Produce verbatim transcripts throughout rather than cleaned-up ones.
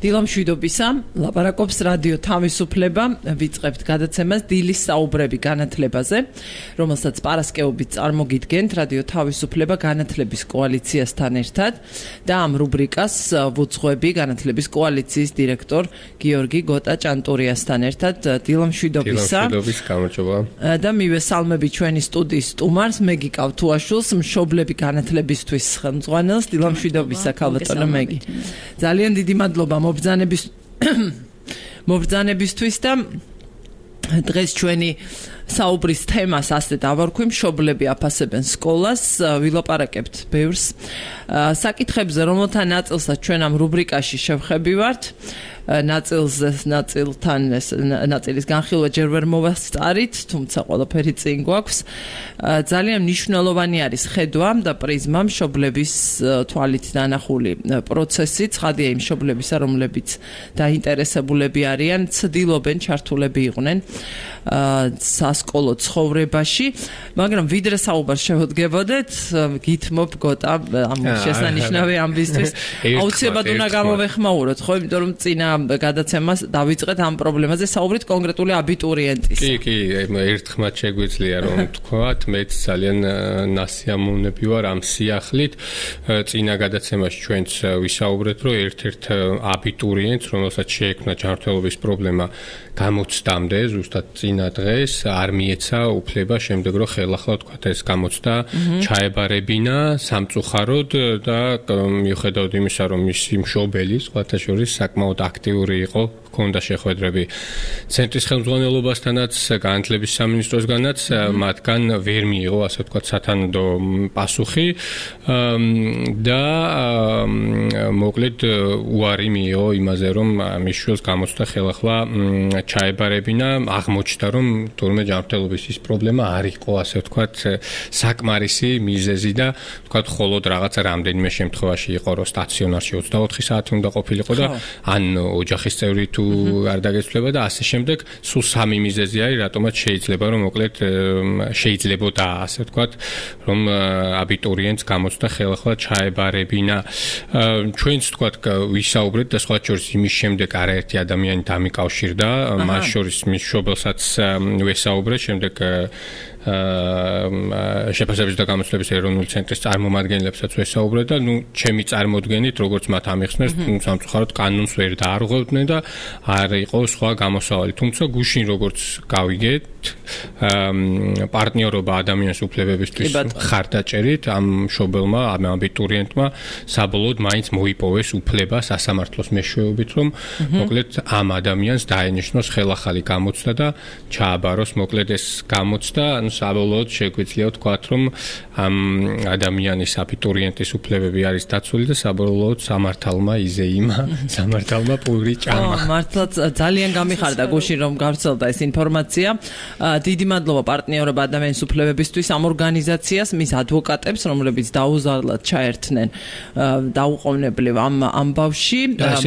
დილამშვიდობისა, ლაპარაკობს რადიო თავისუფლება, ვიწყებთ გადაცემას დილის საუბრები განათლებაზე, რომელსაც პარასკევობით წარმოგიდგენთ რადიო თავისუფლება განათლების კოალიციასთან ერთად და ამ რუბრიკას ვუძღვები განათლების კოალიციის დირექტორ გიორგი გოტა-ჭანტურიასთან ერთად. დილამშვიდობისა. დილამშვიდობის, გამარჯობა. და მივესალმები ჩვენი სტუდიის სტუმარს, მეგი კავთუაშვილს, მშობლები განათლებისთვის ხელმძღვანელს. დილამშვიდობისა, ქალბატონო მეგი. ძალიან დიდი მადლობა მობრძანების მობრძანებისთვის და დღეს ჩვენი საუბრის თემას ასე დავარქვი, მშობლები აფასებენ სკოლას, ვილაპარაკებთ ბევრს საკითხებზე, რომელთა ნაწილსაც ჩვენ ამ რუბრიკაში შევხებივართ. ნაწილზე ნაწილთან ნაწილის განხილვა ჯერ ვერ მოვასწარით, თუმცა ყველაფერი წინ გვაქვს. ძალიან მნიშვნელოვანი არის ხედვა და პრიზმა მშობლების თვალით დანახული პროცესი, ცხადია იმ მშობლებისა, რომლებიც დაინტერესებულები არიან, ცდილობენ ჩართულები იყვნენ სასკოლო ცხოვრებაში, მაგრამ ვიდრე საუბარს შევდგებოდეთ, გითმობ გოტა ამ შესანიშნავი ამბისთვის აუცილებლად უნდა გამოვეხმაუროთ, ხო, იმიტომ რომ წინა გადაცემას დავიწყეთ ამ პრობლემაზე, საუბრით კონკრეტული აბიტურიენტის. კი, კი, ერთხმად შეგვიძლია რომ თქვათ, მეც ძალიან ნასიამოვნები ვარ ამ სიახლით. წინა გადაცემაში ჩვენც ვისაუბრეთ, რომ ერთ-ერთ აბიტურიენტს, რომელსაც შეექმნა ჯანმრთელობის პრობლემა გამოცდამდე, ზუსტად წინა დღეს არ მიეცა უფლება შემდეგ რომ ხელახლა თქვათ ეს გამოცდა ჩაებარებინა სამწუხაროდ და მიუხედავად იმისა, რომ მისი მშობელი სხვათა შორის საკმაოდ აქტიური იყო, ჰქონდა შეხვედრები ცენტრის ხელმძღვანელობასთანაც, განათლების სამინისტროსგანაც, მათგან ვერ მიიღო, ასე ვთქვათ, სათანადო პასუხი და მოკლედ უარი მიიღო იმაზე, რომ მის შვილს გამოცდა ხელახლა ჩაებარებინა, აღმოჩნდა, რომ თურმე ჯანმრთელობის ის პრობლემა არ იყო, ასე ვთქვათ, საკმარისი მიზეზი და ვთქვათ, მხოლოდ რაღაცა რამდენიმე შემთხვევაში იყო, რომ სტაციონარში ოცდაოთხი საათი უნდა ყოფილიყო და ან ოჯახის წევრი თუ არ დაგეცვლება და ასე შემდეგ, სულ სამი მიზეზი არის, რატომაც შეიძლება რომ მოკლედ შეიძლებოდა, ასე ვთქვათ, რომ აბიტურიენტს გამოცდა ხელახლა ჩაებარებინა. ჩვენც ვთქვათ, ვისაუბრეთ და სხვა შორის იმის შემდეგ არაერთი ადამიანი დამიკავშირდა, მას შორის მის მშობელსაც ვესაუბრეთ, შემდეგ შეფასების და გამოცდების ეროვნული ცენტრის წარმომადგენლებსაც ვესაუბრეთ და ნუ ჩემი წარმოდგენით, როგორც მათ ამიხსნეს, სამწუხაროდ კანონს ვერ დაარღვევდნენ და არ იყო სხვა გამოსავალი. თუმცა გუშინ როგორც გავიგეთ, პარტნიორობა ადამიანის უფლებებისთვის ხარდაჭერით ამ მშობელმა, ამ აბიტურიენტმა საბოლოოდ მაინც მოიპოვეს უფლება სასამართლოს მეშვეობით, რომ მოკლედ ამ ადამიანს დაენიშნოს ხელახალი გამოცდა და ჩააბაროს მოკლედ ეს გამოცდა. საბოლოოდ შეგვიძლია ვთქვათ, რომ ამ ადამიანის აბიტურიენტის უფლებები არის დაცული და საბოლოოდ სამართალმა იზეიმა, სამართალმა პური ჭამა. მართლაც ძალიან გამიხარდა გუშინ რომ გავრცელდა ეს ინფორმაცია. დიდი მადლობა პარტნიორობა ადამიანის უფლებებისთვის ამ ორგანიზაციას, მის ადვოკატებს, რომლებიც დაუზარლად ჩაერთნენ დაუყოვნებლივ ამ ამბავში,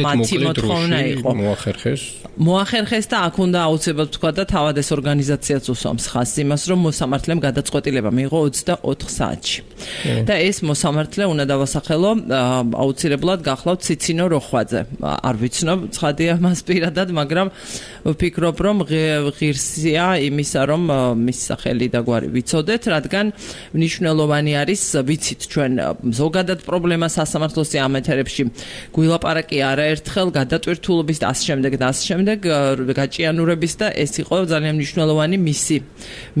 მათი მოთხოვნა იყო მოახერხეს. მოახერხეს და აქ უნდა აუცილებლად ვთქვა და თავად ეს ორგანიზაციაც უსვამს ხაზს იმას, რომ მოსამართლემ გადაწყვეტილება მიიღო ოცდაოთხ საათში. და ეს მოსამართლე უნდა დავასახელო აუცილებლად გახლავთ ციცინო როხვაძე. არ ვიცნობ, ცხადია მას პირადად, მაგრამ ვფიქრობ, რომ ღირსია იმისა, რომ მის სახელი და გვარი ვიცოდეთ, რადგან მნიშვნელოვანი არის, ვიცით ჩვენ ზოგადად პრობლემა სასამართლოსი ამ ეთერებში გვილაპარაკი არაერთხელ გადატვირთულობის და ასე შემდეგ და ასე შემდეგ გაჭიანურების და ეს იყო ძალიან მნიშვნელოვანი მისი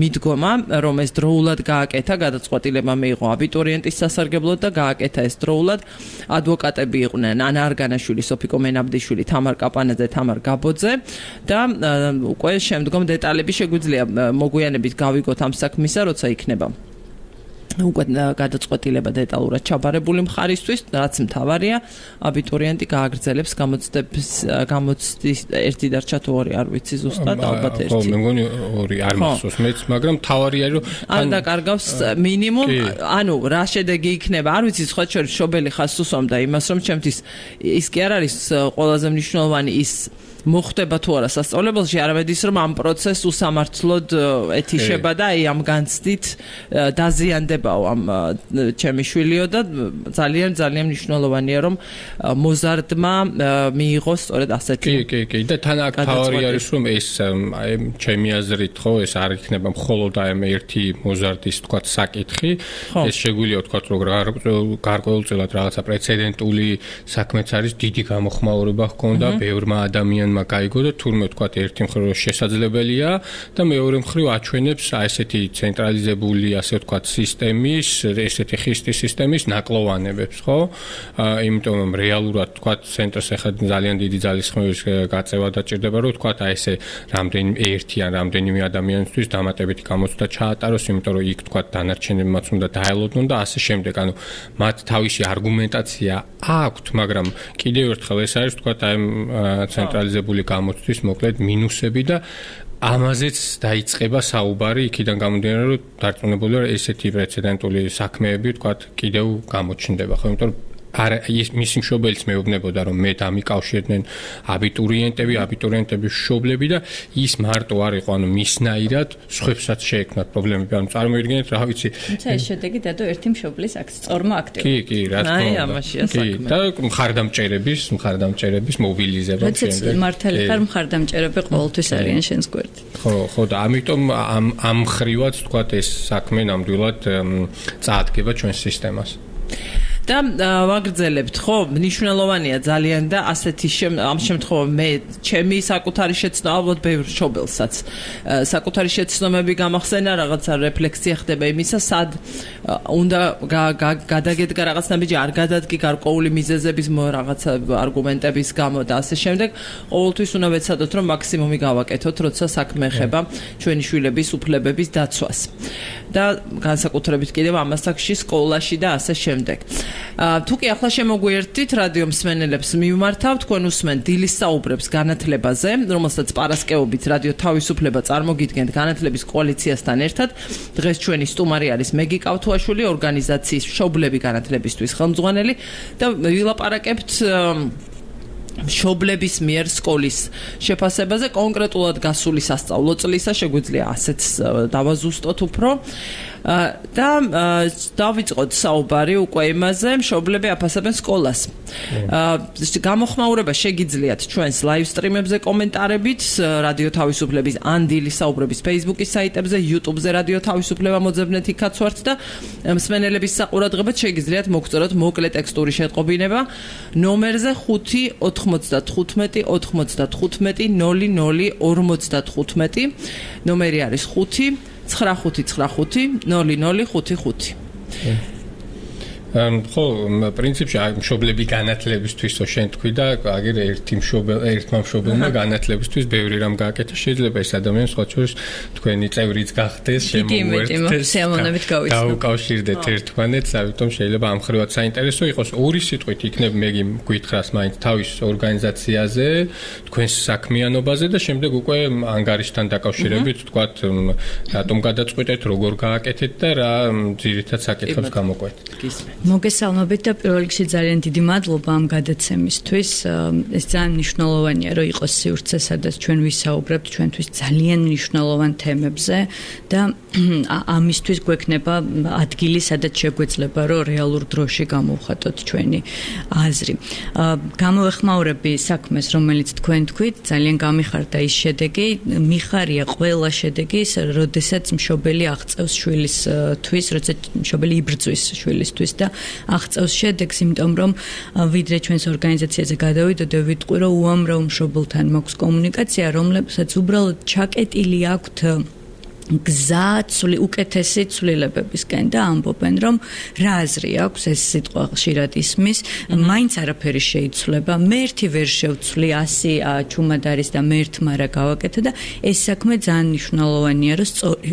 მიდგომა, რომ ეს დროულად გააკეთა, გადაწყვეტილება მიიღო აბიტურიენტის სასარგებლოდ და გააკეთა ეს დროულად. ადვოკატები იყვნენ ანა არგანაშვილი, სოფიკო მენაბდიშვილი, თამარ კაპანაძე, თამარ გაბოძე და უკვე შემდგომ დეტალები შეგვიძლია მოგვიანებით გავიგოთ ამ საქმისა, როცა იქნება უკვე გადაწყვეტილება დეტალურად ჩაბარებული მხარისთვის, რაც მთავარია, აბიტურიენტი გააგრძელებს გამოცდების გამოცდის ერთი დარჩა თუ ორი, არ ვიცი ზუსტად, ალბათ ერთი. ხო, მე მგონი ორი არ მახსოვს მეც, მაგრამ მთავარი არის, რომ არ დაკარგავს მინიმუმ, ანუ რა შედეგი იქნება, არ ვიცი, სხვა შორის მშობელი ხაზს უსვამდა იმას, რომ ჩემთვის ის კი არ არის ყველაზე მნიშვნელოვანი ის მოხდება თუ არა სასწავლებელში, არამედ ის რომ ამ პროცესს უსამართლოდ ეთიშება და აი ამ განცდით დაზიანდებაო ამ ჩემი შვილიო და ძალიან ძალიან მნიშვნელოვანია რომ მოზარდმა მიიღოს სწორედ ასეთი. კი, კი, კი და თან აქ თავი არის რომ ეს აი ჩემი აზრით ხო ეს არ იქნება მხოლოდ აი ერთი მოზარდის თქვა საკითხი, ეს შეგვიძლია თქვა რომ გარკვეულწილად რაღაცა პრეცედენტული საქმეც არის, დიდი გამოხმაურება ჰქონდა ბევრმა ადამიანმა გაიგო და თურმე თქვა ერთი მხრივ შესაძლებელია და მეორე მხრივ აჩვენებს აი ესეთი ცენტრალიზებული ასე თქვა სისტემის, ესეთი ხისტი სისტემის ნაკლოვანებებს, ხო? იმიტომ რომ რეალურად თქვა ცენტრს ახლა ძალიან დიდი ძალისხმევის გაწევა დაჭირდება, რომ თქვა აი ესე რამდენი ერთი ან რამდენიმე ადამიანისთვის დამატებითი გამოცდა ჩაატაროს, იმიტომ რომ იქ თქვა დანარჩენებმაც უნდა დაელოდონ და ასე შემდეგ. ანუ მათ თავისი არგუმენტაცია აქვთ, მაგრამ კიდევ ერთხელ ეს არის თქვა აი ცენტრალიზებული გამოცდის მოკლედ მინუსები და ამაზეც დაიწყება საუბარი იქიდან გამომდინარე რომ დარწმუნებულია რომ ესეთი პრეცედენტული საქმეები თქვა კიდევ გამოჩნდება, ხო, იმიტომ რომ არა ის მისი მშობელიც მეუბნებოდა რომ მე დამიკავშირდნენ აბიტურიენტები, აბიტურიენტების მშობლები და ის მარტო არ იყო, ანუ მისნაირად სხვებსაც შეექმნათ პრობლემები, ანუ წარმოიდგინეთ რა ვიცი. თუმცა ეს შედეგი დადო ერთი მშობლის აქ სწორმა აქტივობა. კი, კი, რა თქმა უნდა. აი ამაშია საქმე. და მხარდამჭერების, მხარდამჭერების მობილიზება შემდეგ. როცა მართალი ხარ მხარდამჭერები ყოველთვის არიან შენს გვერდით. ხო, ხო და ამიტომ ამ ამ ხრივაც თქვა ეს საქმე ნამდვილად წაადგება ჩვენს სისტემას. და ვაგრძელებთ, ხო, მნიშვნელოვანია ძალიან და ასეთი ამ შემთხვევაში მე ჩემი საკუთარი შეცნობა ალბათ ბევრ მშობელსაც საკუთარი შეცნობები გამახსენა, რაღაცა რეფლექსია ხდება იმისა, სად უნდა გადაგედგა რაღაც ნაბიჯი, არ გადადგი გარკვეული მიზეზების რაღაცა არგუმენტების გამო და ასე შემდეგ. ყოველთვის უნდა ვეცადოთ, რომ მაქსიმუმი გავაკეთოთ, როცა საქმე ეხება ჩვენი შვილების უფლებების დაცვას. და განსაკუთრებით კიდევ ამასაკში სკოლაში და ასე შემდეგ. თუ კი ახლა შემოგვიერთდით რადიო მსმენელებს მივმართავ, თქვენ უსმენთ დილის საუბრებს განათლებაზე, რომელსაც პარასკევობით რადიო თავისუფლება წარმოგიდგენთ განათლების კოალიციასთან ერთად. დღეს ჩვენი სტუმარი არის მეგი კავთუაშვილი, ორგანიზაციის მშობლები განათლებისთვის ხელმძღვანელი და ვილაპარაკებთ მშობლების მიერ სკოლის შეფასებაზე, კონკრეტულად გასული სასწავლო წლისა, შეგვიძლია ასეც დავაზუსტოთ უფრო. და დავიწყოთ საუბარი უკვე იმაზე, მშობლები აფასებენ სკოლას. გამოხმაურება შეგიძლიათ ჩვენს live stream-ებზე კომენტარებით, რადიო თავისუფლების ან დილის საუბრების Facebook-ის საიტებზე, YouTube-ზე რადიო თავისუფლება მოძებნეთ იქაც ვართ და მსმენელების საყურადღებად შეგიძლიათ მოგწეროთ მოკლე ტექსტური შეტყობინება ნომერზე ხუთი ოთხმოცდათხუთმეტი ოთხმოცდათხუთმეტი ნული ნული ორმოცდათხუთმეტი. ნომერი არის ხუთი ცხრა ხუთი ცხრა ხუთი ნული ნული ხუთი ხუთი. ხო, პრინციპში მშობლები განათლებისთვის შენ თქვი და აგერ ერთი მშობელ, ერთმა მშობელმა განათლებისთვის ბევრი რამ გააკეთა, შეიძლება ეს ადამიანი სხვა შორის თქვენი წევრიც გახდეს, შემოუერთდეს, გაუკავშირდეთ ერთმანეთს, ამიტომ შეიძლება ამ ხრივად საინტერესო იყოს. ორი სიტყვით იქნებ მეგი გვითხრას მაინც თავის ორგანიზაციაზე, თქვენს საქმიანობაზე და შემდეგ უკვე ანგარიშთან დაკავშირებით თქვათ რატომ გადაწყვეტეთ, როგორ გააკეთეთ და რა ძირითად საკითხებს გამოყვეთ. მოგესალმებით და პირველ რიგში ძალიან დიდი მადლობა ამ გადაცემისთვის. ეს ძალიან მნიშვნელოვანია, რომ იყოს სივრცე, სადაც ჩვენ ვისაუბრებთ ჩვენთვის ძალიან მნიშვნელოვან თემებზე და ამისთვის გვექნება ადგილი, სადაც შეგვეძლება, რომ რეალურ დროში გამოვხატოთ ჩვენი აზრი. გამოვეხმაურები საქმეს, რომელიც თქვენ თქვით, ძალიან გამიხარდა ის შედეგი, მიხარია ყველა შედეგი, როდესაც მშობელი აღწევს შვილისთვის, როცა მშობელი იბრძვის შვილისთვის და აღწევს შედეგს, იმიტომ რომ ვიდრე ჩვენს ორგანიზაციაზე გადავიდოდე, ვიტყვი, რომ უამრავ მშობელთან მაქვს კომუნიკაცია, რომლებსაც უბრალოდ ჩაკეტილი აქვთ გზა ცვლი უკეთესი ცვლილებებისკენ და ამბობენ, რომ რა აზრი აქვს, ეს სიტყვა ხშირად ისმის, მაინც არაფერი შეიცვლება, მე ერთი ვერ შევცვლი, ასი ჩუმად არის და მე ერთმა რა გავაკეთე და ეს საქმე ძალიან მნიშვნელოვანია, რომ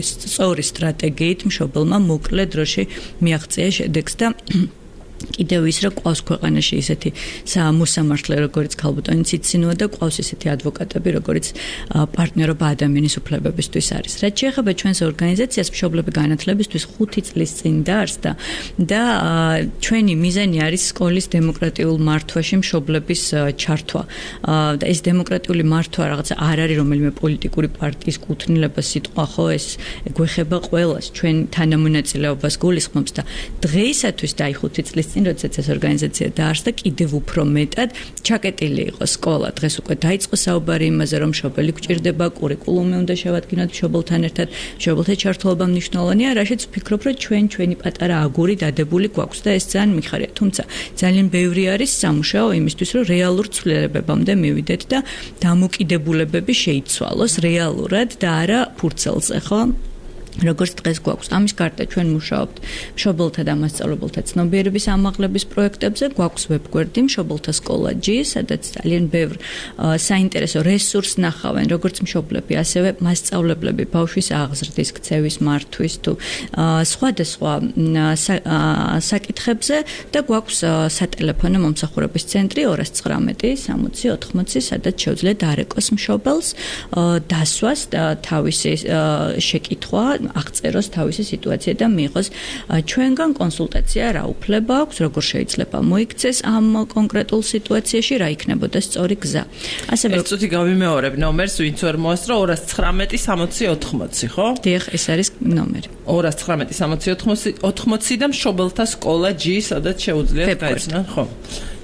სწორი სტრატეგიით მშობელმა მოკლე დროში მიაღწია შედეგს და კიდევ ის რომ ყავს ქვეყანაში ისეთი მოსამართლე როგორც ქალბატონი ციცინოა და ყავს ისეთი ადვოკატები როგორც პარტნიორობა ადამიანის უფლებებისთვის არის. რაც შეეხება ჩვენს ორგანიზაციას მშობლები განათლებისთვის ხუთი წლის წინ დაარსდა და ჩვენი მიზანი არის სკოლის დემოკრატიულ მართვაში მშობლების ჩართვა. და ეს დემოკრატიული მართვა რაღაცა არ არის რომელიმე პოლიტიკური პარტიის კუთვნილება სიტყვა ხო ეს გვეხება ყველას ჩვენ თანამონაწილეობას გულისხმობს და დღეისათვის და აი ხუთი წლის წინ როდესაც ეს ორგანიზაცია დაარსდა კიდევ უფრო მეტად ჩაკეტილი იყო სკოლა დღეს უკვე დაიწყო საუბარი იმაზე რომ მშობელი გვჭირდება კურიკულუმი უნდა შევადგინოთ მშობელთან ერთად მშობელთა ჩართულობა მნიშვნელოვანია რაშიც ვფიქრობ რომ ჩვენ ჩვენი პატარა აგური დადებული გვაქვს და ეს ძალიან მიხარია თუმცა ძალიან ბევრი არის სამუშაო იმისთვის რომ რეალურ ცვლილებებამდე მივიდეთ და დამოკიდებულებები შეიცვალოს რეალურად და არა ფურცელზე ხო როგორც დღეს გვაქვს ამის გარდა ჩვენ მუშაობთ მშობელთა და მასწავლებელთა ცნობიერების ამაღლების პროექტებზე გვაქვს ვებგვერდი მშობელთა სკოლა G სადაც ძალიან ბევრ საინტერესო რესურსს ნახავენ როგორც მშობლები ასევე მასწავლებლები ბავშვის აღზრდის ქცევის მართვის თუ სხვადასხვა საკითხებზე და გვაქვს სატელეფონო მომსახურების ცენტრი ორას ცხრამეტი სამოცი ოთხმოცი სადაც შეუძლიათ დარეკოს მშობელს დასვას და თავისი შეკითხვა აღწეროს თავისი სიტუაცია და მიიღოს ჩვენგან კონსულტაცია რა უფლება აქვს როგორ შეიძლება მოიქცეს ამ კონკრეტულ სიტუაციაში რა იქნებოდა სწორი გზა ასევე ეს წუთი გავიმეორებ ნომერს ვინც ვერ მოასწრო ორას ცხრამეტი სამოცი ოთხმოცი ხო დიახ ეს არის ნომერი ორას ცხრამეტი სამოცი ოთხმოცი და მშობელთა სკოლა G სადაც შეუძლიათ გაიცნონ ხო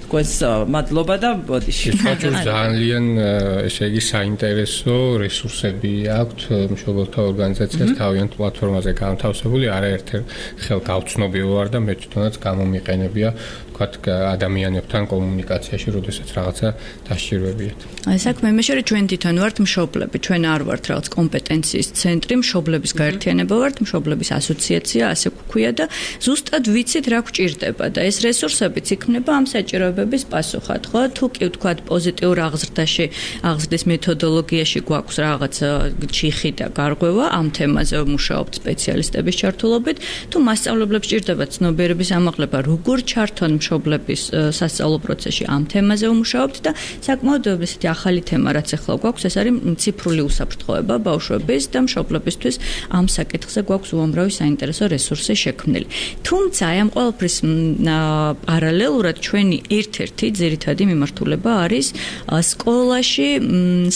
გვეს მადლობა და ბოდიში. ჩვენს ძალიან ესე იგი საინტერესო რესურსები აქვთ მშობელთა ორგანიზაციას თავიანთ პლატფორმაზე განთავსებული, არაერთ ხელ გავცნობილი ვარ და მე თვითონაც გამომიყენებია ვთქვათ ადამიანებთან კომუნიკაციაში, როდესაც რაღაცა დასჭირვებიათ. საქმე იმაშია, რომ ჩვენ თვითონ ვართ მშობლები, ჩვენ არ ვართ რაღაც კომპეტენციის ცენტრი, მშობლების გაერთიანება ვართ, მშობლების ასოციაცია, ასე გვქვია და ზუსტად ვიცით რა გვჭირდება და ეს რესურსებიც იქმნება ამ საჭიროებების პასუხად, ხო? თუ კი ვთქვათ პოზიტიურ აღზრდაში, აღზრდის მეთოდოლოგიაში გვაქვს რაღაც ჩიხი და გარღვევა, ამ თემაზე ვმუშაობთ სპეციალისტების ჩართულობით, თუ მასწავლებლებს ჭირდებათ ცნობიერების ამაღლება, როგორ ჩართონ მშობლების სასწავლო პროცესში ამ თემაზე ვმუშაობთ და საკმაოდ ესეთი ახალი თემა რაც ახლა გვაქვს ეს არის ციფრული უსაფრთხოება ბავშვების და მშობლებისთვის ამ საკითხზე გვაქვს უამრავი საინტერესო რესურსი შექმნილი. თუმცა აი ამ ყველაფრის პარალელურად ჩვენი ერთ-ერთი ძირითადი მიმართულება არის სკოლაში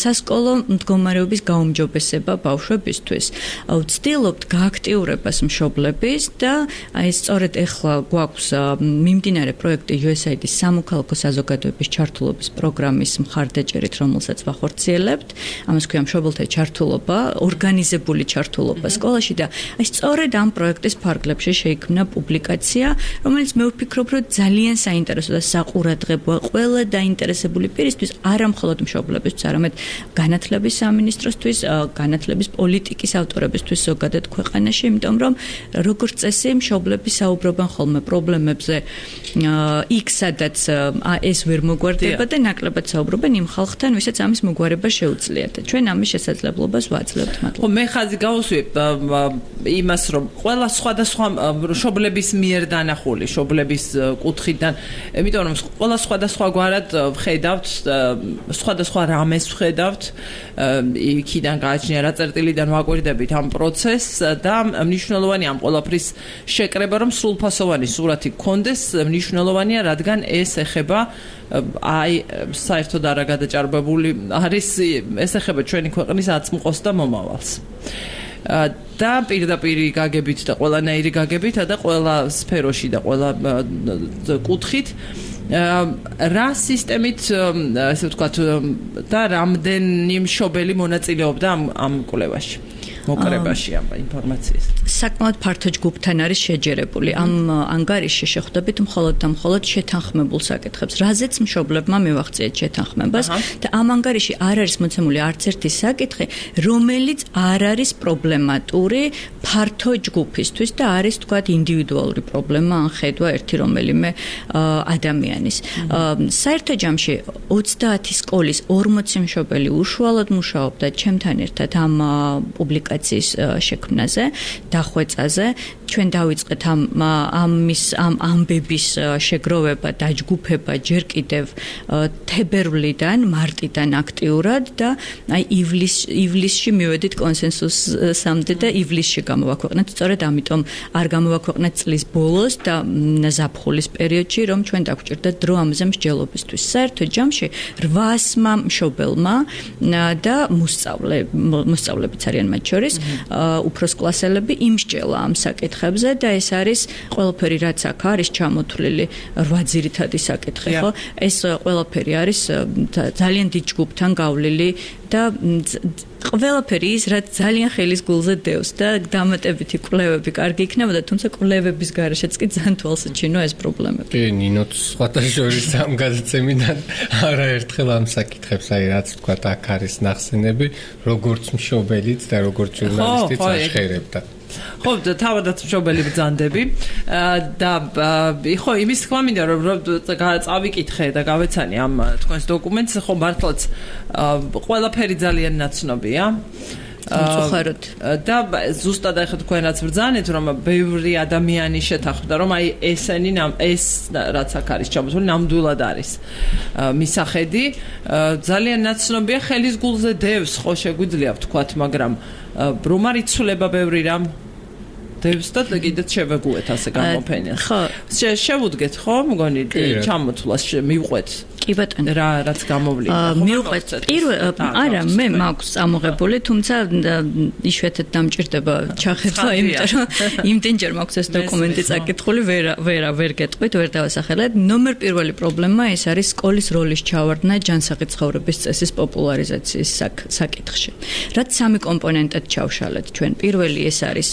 სასკოლო მდგომარეობის გაუმჯობესება ბავშვებისთვის. ვცდილობთ გააქტიურებას მშობლების და აი სწორედ ახლა გვაქვს მიმდინარე პროექტი U S A I D-ის სამოქალაქო საზოგადოების ჩართულობის პროგრამის მხარდაჭერით, რომელსაც ვახორციელებთ. ამას ქვია მშობელთა ჩართულობა, ორგანიზებული ჩართულობა სკოლაში და აი სწორედ ამ პროექტის ფარგლებში შეიქმნა პუბლიკაცია, რომელიც მე ვფიქრობ, რომ ძალიან საინტერესო და საყურადღებოა ყველა დაინტერესებული პირისთვის, არა მხოლოდ მშობლებისთვის, არამედ განათლების სამინისტროსთვის, განათლების პოლიტიკის ავტორებისთვის ზოგადად ქვეყანაში, იმიტომ რომ როგორც წესი მშობლები საუბრობენ ხოლმე პრობლემებზე იქ სადაც ეს ვერ მოგვარდება და ნაკლებად საუბრობენ იმ ხალხთან, ვისაც ამის მოგვარება შეუძლიათ. ჩვენ ამის შესაძლებლობას ვაძლევთ მადლობა. ხო, მე ხაზი გავუსვი იმას, რომ ყველა სხვადასხვა მშობლების მიერ დანახული, მშობლების კუთხიდან, იმიტომ რომ ყველა სხვადასხვაგვარად ვხედავთ, სხვადასხვა რამეს ვხედავთ, იქიდან გააჩნია რა წერტილიდან ვაკვირდებით ამ პროცესს და მნიშვნელოვანია ამ ყველაფრის შეკრება, რომ სრულფასოვანი სურათი გქონდეს, მნიშვნელოვანია, რადგან ეს ეხება აი საერთოდ არა გადაჭარბებული არის ეს ეხება ჩვენი ქვეყნის აწმყოს და მომავალს. და პირდაპირ გაგებით და ყველანაირი გაგებით და ყველა სფეროში და ყველა კუთხით რა სისტემით ასე ვთქვათ და რამდენი მშობელი მონაწილეობდა ამ ამ კვლევაში მოკრებაში ამ ინფორმაციის. საკმაოდ ფართო ჯგუფთან არის შეჯერებული. ამ ანგარიშში შეხვდებით მხოლოდ და მხოლოდ შეთანხმებულ საკითხებს, რაზეც მშობლებმა მივახციეთ შეთანხმებას და ამ ანგარიში არ არის მოცემული არც ერთი საკითხი, რომელიც არ არის პრობლემატური ფართო ჯგუფისთვის და არის თქვათ ინდივიდუალური პრობლემა ან ხედვა ერთი რომელიმე ადამიანის. საერთო ჯამში ოცდაათი სკოლის ორმოცი მშობელი უშუალოდ მუშაობდა ჩემთან ერთად ამ პუბლიკაციაზე აპლიკაციის შექმნაზე, დახვეწაზე. ჩვენ დავიწყეთ ამ ამის ამ ამბების შეგროვება, დაჯგუფება ჯერ კიდევ თებერვლიდან, მარტიდან აქტიურად და აი ივლის ივლისში მივედით კონსენსუსამდე და ივლისში გამოვაქვეყნეთ. სწორედ ამიტომ არ გამოვაქვეყნეთ წლის ბოლოს და ზაფხულის პერიოდში, რომ ჩვენ დაგვჭირდა დრო ამაზე მსჯელობისთვის. საერთო ჯამში რვაასმა მშობელმა და მოსწავლე მოსწავლებიც არიან მათ შორის, უფროს კლასელები იმსჯელა ამ საკითხებზე და ეს არის ყველაფერი რაც აქ არის ჩამოთვლილი რვა ძირითადი საკითხი, ხო? ეს ყველაფერი არის ძალიან დიდ ჯგუფთან გავლილი და ყველაფერი ის რაც ძალიან ხელის გულზე დევს და დამატებითი კვლევები კარგი იქნებოდა, თუმცა კვლევების გარეშეც კი ძალიან თვალსაჩინო ეს პრობლემები. კი, ნინოც სხვათა შორის ამ გადაცემიდან არაერთხელ ამ საკითხებს, აი რაც თქვა აქ არის ნახსენები, როგორც მშობელიც და როგორც ჟურნალისტიც აღხერებდა. ხო, თავადაც მშობელი ბრძანდები და ხო იმის თქმა მინდა რომ წავიკითხე და გავეცანი ამ თქვენს დოკუმენტს, ხო მართლაც ყველაფერი ძალიან ნაცნობია. მწუხაროდ და ზუსტად ახლა თქვენ რაც ბრძანეთ რომ ბევრი ადამიანი შეთანხმდა რომ აი ესენი ეს რაც აქ არის ჩამოთვლილი ნამდვილად არის მისახედი ძალიან ნაცნობია ხელის გულზე დევს ხო შეგვიძლია ვთქვათ მაგრამ რომ არ იცვლება ბევრი რამ დევს და კიდეც შევეგუეთ ასე გამოფენას ხო შევუდგეთ ხო მგონი ჩამოთვლას მივყვეთ კი ბატონო რა რაც გამოვლინდა მივყვეთ პირველ არა მე მაქვს ამოღებული თუმცა იშვიათად დამჭირდება ჩახედვა იმიტომ რომ იმდენჯერ მაქვს ეს დოკუმენტი წაკითხული ვერ ვერ ვერ გეტყვით ვერ დავასახელებ ნომერ პირველი პრობლემა ეს არის სკოლის როლის ჩავარდნა ჯანსაღი ცხოვრების წესის პოპულარიზაციის საკითხში რაც სამი კომპონენტად ჩავშალეთ ჩვენ პირველი ეს არის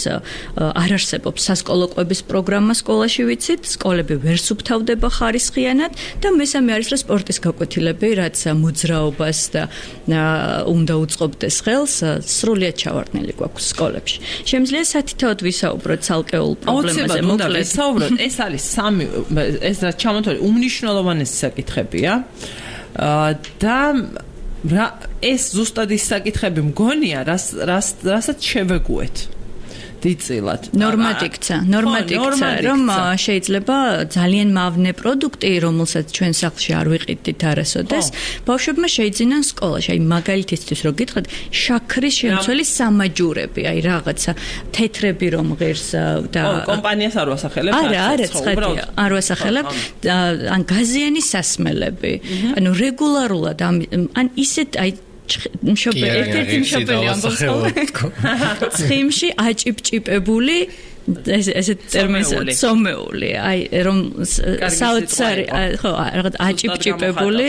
არ არსებობს სასკოლო კვების პროგრამა სკოლაში ვიცით სკოლები ვერ სუფთავდება ხარისხიანად და მესამე არის რომ სპორტის გაკვეთილები, რაც მოძრაობას და უნდა უწყობდეს ხელს, სრულიად ჩავარდნილი გვაქვს სკოლებში. შემიძლია სათითაოდ ვისაუბროთ ცალკეულ პრობლემაზე, მოკლედ ვისაუბროთ. ეს არის სამი ეს რაც ჩამოთვლილი უმნიშვნელოვანესი საკითხებია. და ეს ზუსტად ის საკითხები მგონია, რას რასაც შევეგუეთ. დიწილად. ნორმად იქცა, ნორმად იქცა, რომ შეიძლება ძალიან მავნე პროდუქტი, რომელსაც ჩვენ სახლში არ ვიყიდით არასოდეს, ბავშვებმა შეიძინან სკოლაში. აი მაგალითისთვის რო გითხრათ, შაქრის შემცველი სამაჯურები, აი რაღაცა თეთრები რომ ღირს და კომპანიას არ ვასახელებ, არა, არა, ცხადია, არ ვასახელებ, ან გაზიანი სასმელები. ანუ რეგულარულად ან ისეთ აი მშობელი ერთ-ერთი მშობელი ამბობს ცხიმში აჭიპჭიპებული ესე ტერმინს სომეული აი რომ საოცარი ხო რაღაც აჭიპჭიპებული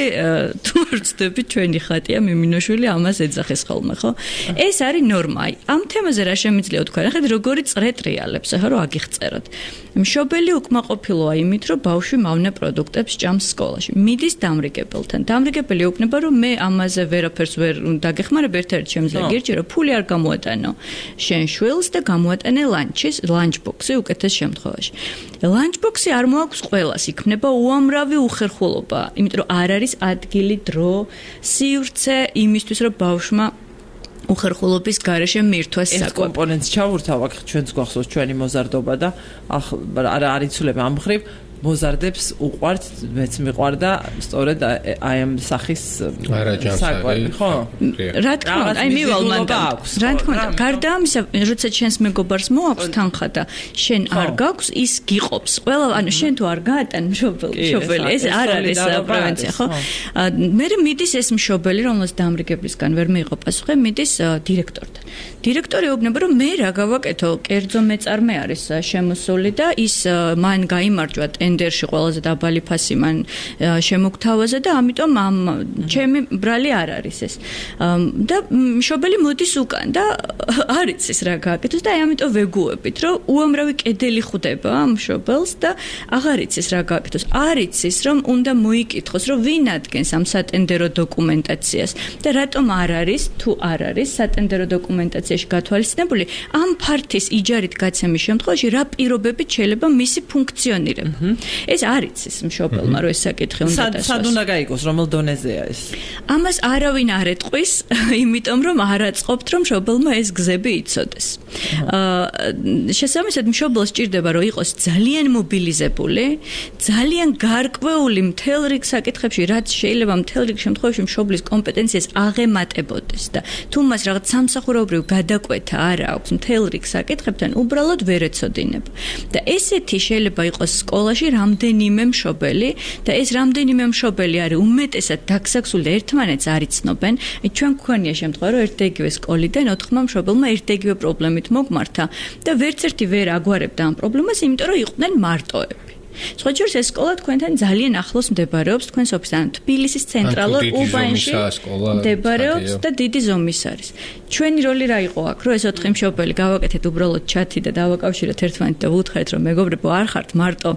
თურცდები ჩვენი ხატია მიმინოშვილი ამას ეძახეს ხოლმე ხო ეს არის ნორმა აი ამ თემაზე რა შემიძლია თქვა ნახეთ როგორი წრეტრიალებს ახლა რომ აგიხწეროთ მშობელი უკმაყოფილოა იმით რომ ბავშვი მავნე პროდუქტებს ჭამს სკოლაში მიდის დამრიგებელთან დამრიგებელი უკნება რომ მე ამაზე ვერაფერს ვერ დაგეხმარებ ერთ-ერთი შემიძლია გირჩი რომ ფული არ გამოატანო შენ შვილს და გამოატანე ლანჩის ლანჩბოქსი უკეთეს შემთხვევაში. ლანჩბოქსი არ მოაქვს ყველას, იქნება უამრავი უხერხულობა, იმიტომ რომ არ არის ადგილი, დრო, სივრცე იმისთვის, რომ ბავშვმა უხერხულობის გარეშე მირთვას საკვებ. ეს კომპონენტს ჩავურთავ, აქ ჩვენს გვახსოვს ჩვენი მოზარდობა და არა არ იცვლება ამ მხრივ მოზარდებს უყვართ, მეც მიყვარდა სწორედ აი ამ სახის საკვები, ხო? რა თქმა უნდა, აი მივალ მანდამ. რა თქმა უნდა, გარდა ამისა, როცა შენს მეგობარს მოაქვს თანხა და შენ არ გაქვს, ის გიყობს. ყველა, ანუ შენ თუ არ გაატან მშობელი, მშობელი, ეს არ არის პრევენცია, ხო? მე მიდის ეს მშობელი, რომელსაც დამრიგებლისგან ვერ მიიღო პასუხი, მიდის დირექტორთან. დირექტორი უბნება, რომ მე რა გავაკეთო, კერძო მეწარმე არის შემოსული და ის მან გაიმარჯვა ტენდერში ყველაზე დაბალი ფასი მან შემოგთავაზა და ამიტომ ამ ჩემი ბრალი არ არის ეს. და მშობელი მოდის უკან და არ იცის რა გააკეთოს და აი ამიტომ ვეგუებით, რომ უამრავი კედელი ხვდება მშობელს და აღარ იცის რა გააკეთოს. არ იცის, რომ უნდა მოიკითხოს, რომ ვინ ადგენს ამ სატენდერო დოკუმენტაციას და რატომ არ არის, თუ არ არის სატენდერო დოკუმენტაციაში გათვალისწინებული ამ ფართის იჯარით გაცემის შემთხვევაში რა პირობებით შეიძლება მისი ფუნქციონირება. ეს არ იცის მშობელმა, რომ ეს საკითხი უნდა დასვას. სად უნდა გაიგოს, რომელ დონეზეა ეს? ამას არავინ არ ეტყვის, იმიტომ რომ არ აწყობთ, რომ მშობელმა ეს გზები იცოდეს. აა შესაბამისად მშობელს სჭირდება, რომ იყოს ძალიან მობილიზებული, ძალიან გარკვეული მთელ რიგ საკითხებში, რაც შეიძლება მთელ რიგ შემთხვევაში მშობლის კომპეტენციას აღემატებოდეს და თუ მას რაღაც სამსახურებრივ გადაკვეთა არ აქვს მთელ რიგ საკითხებთან, უბრალოდ ვერ ეცოდინება. და ესეთი შეიძლება იყოს სკოლაში რამდენიმე მშობელი და ეს რამდენიმე მშობელი არის უმეტესად დაგსაქსული და ერთმანეთს არ იცნობენ. ჩვენ გვქონია შემთხვევა, რომ ერთ და იგივე სკოლიდან ოთხმა მშობელმა ერთ და იგივე პრობლემით მოგმართა და ვერც ერთი ვერ აგვარებდა ამ პრობლემას, იმიტომ რომ იყვნენ მარტოები. სხვა შორის ეს სკოლა თქვენთან ძალიან ახლოს მდებარეობს, თქვენს ოფისთან, თბილისის ცენტრალურ უბანში მდებარეობს და დიდი ზომის არის. ჩვენი როლი რა იყო აქ, რომ ეს ოთხი მშობელი გავაკეთეთ უბრალოდ ჩათი და დავაკავშირეთ ერთმანეთს და ვუთხრეთ, რომ მეგობრებო, არ ხართ მარტო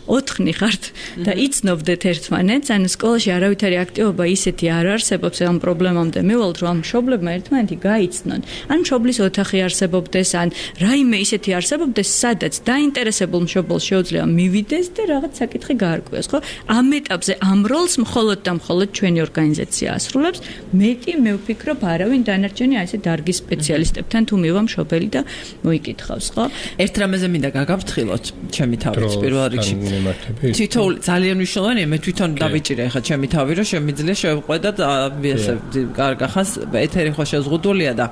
ოთხნი ხართ და იცნობდეთ ერთმანეთს, ანუ სკოლაში არავითარი აქტივობა ისეთი არ არსებობს ამ პრობლემამდე მივალთ, რომ ამ მშობლებმა ერთმანეთი გაიცნონ. ან მშობლის ოთახი არსებობდეს, ან რაიმე ისეთი არსებობდეს, სადაც დაინტერესებულ მშობელს შეუძლია მივიდეს და რაღაც საკითხი გაარკვიოს, ხო? ამ ეტაპზე ამ როლს მხოლოდ და მხოლოდ ჩვენი ორგანიზაცია ასრულებს. მეტი მე ვფიქრობ, არავინ დანარჩენი აი ესე დარგის სპეციალისტებთან თუ მივა მშობელი და მოიკითხავს, ხო? ერთ რამეზე მინდა გაგაფრთხილოთ, ჩემი თავით პირველ რიგში. თითოეული ძალიან მნიშვნელოვანია, მე თვითონ დავიჭირე ხა ჩემი თავი, რომ შემიძლია შევყვედათ ესე კარგახანს ეთერი ხო შეზღუდულია და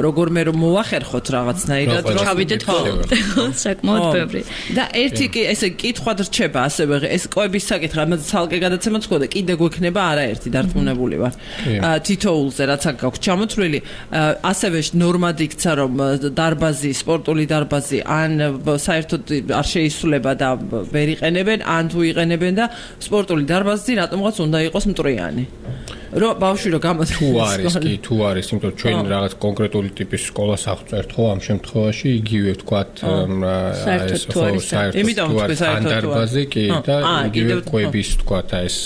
როგორმე რომ მოახერხოთ რაღაცნაირად რომ ჩავიდეთ ხო საკმაოდ ბევრი. და ერთი კი ესე კითხვა რჩება ასევე ეს კვების საკითხი, ამაზე ცალკე გადაცემაც ხდება, კიდე გვექნება არაერთი დარწმუნებული ვარ. თითოეულზე რაც აქ გაქვს ჩამოთვლილი, ასევე ნორმად იქცა რომ დარბაზი, სპორტული დარბაზი ან საერთოდ არ შეისრულება და ვერ იყენებენ, ან თუ იყენებენ და სპორტული დარბაზი რატომღაც უნდა იყოს მტრიანი. რომ ბავშვი რომ გამოდის თუ არის კი თუ არის, იმიტომ ჩვენ რაღაც კონკრეტული ტიპის სკოლას აღწერთ ხო ამ შემთხვევაში იგივე ვთქვათ საერთოდ თუ არის, იმიტომ ვთქვი საერთოდ დარბაზი კი და იგივე კვების ვთქვათ ეს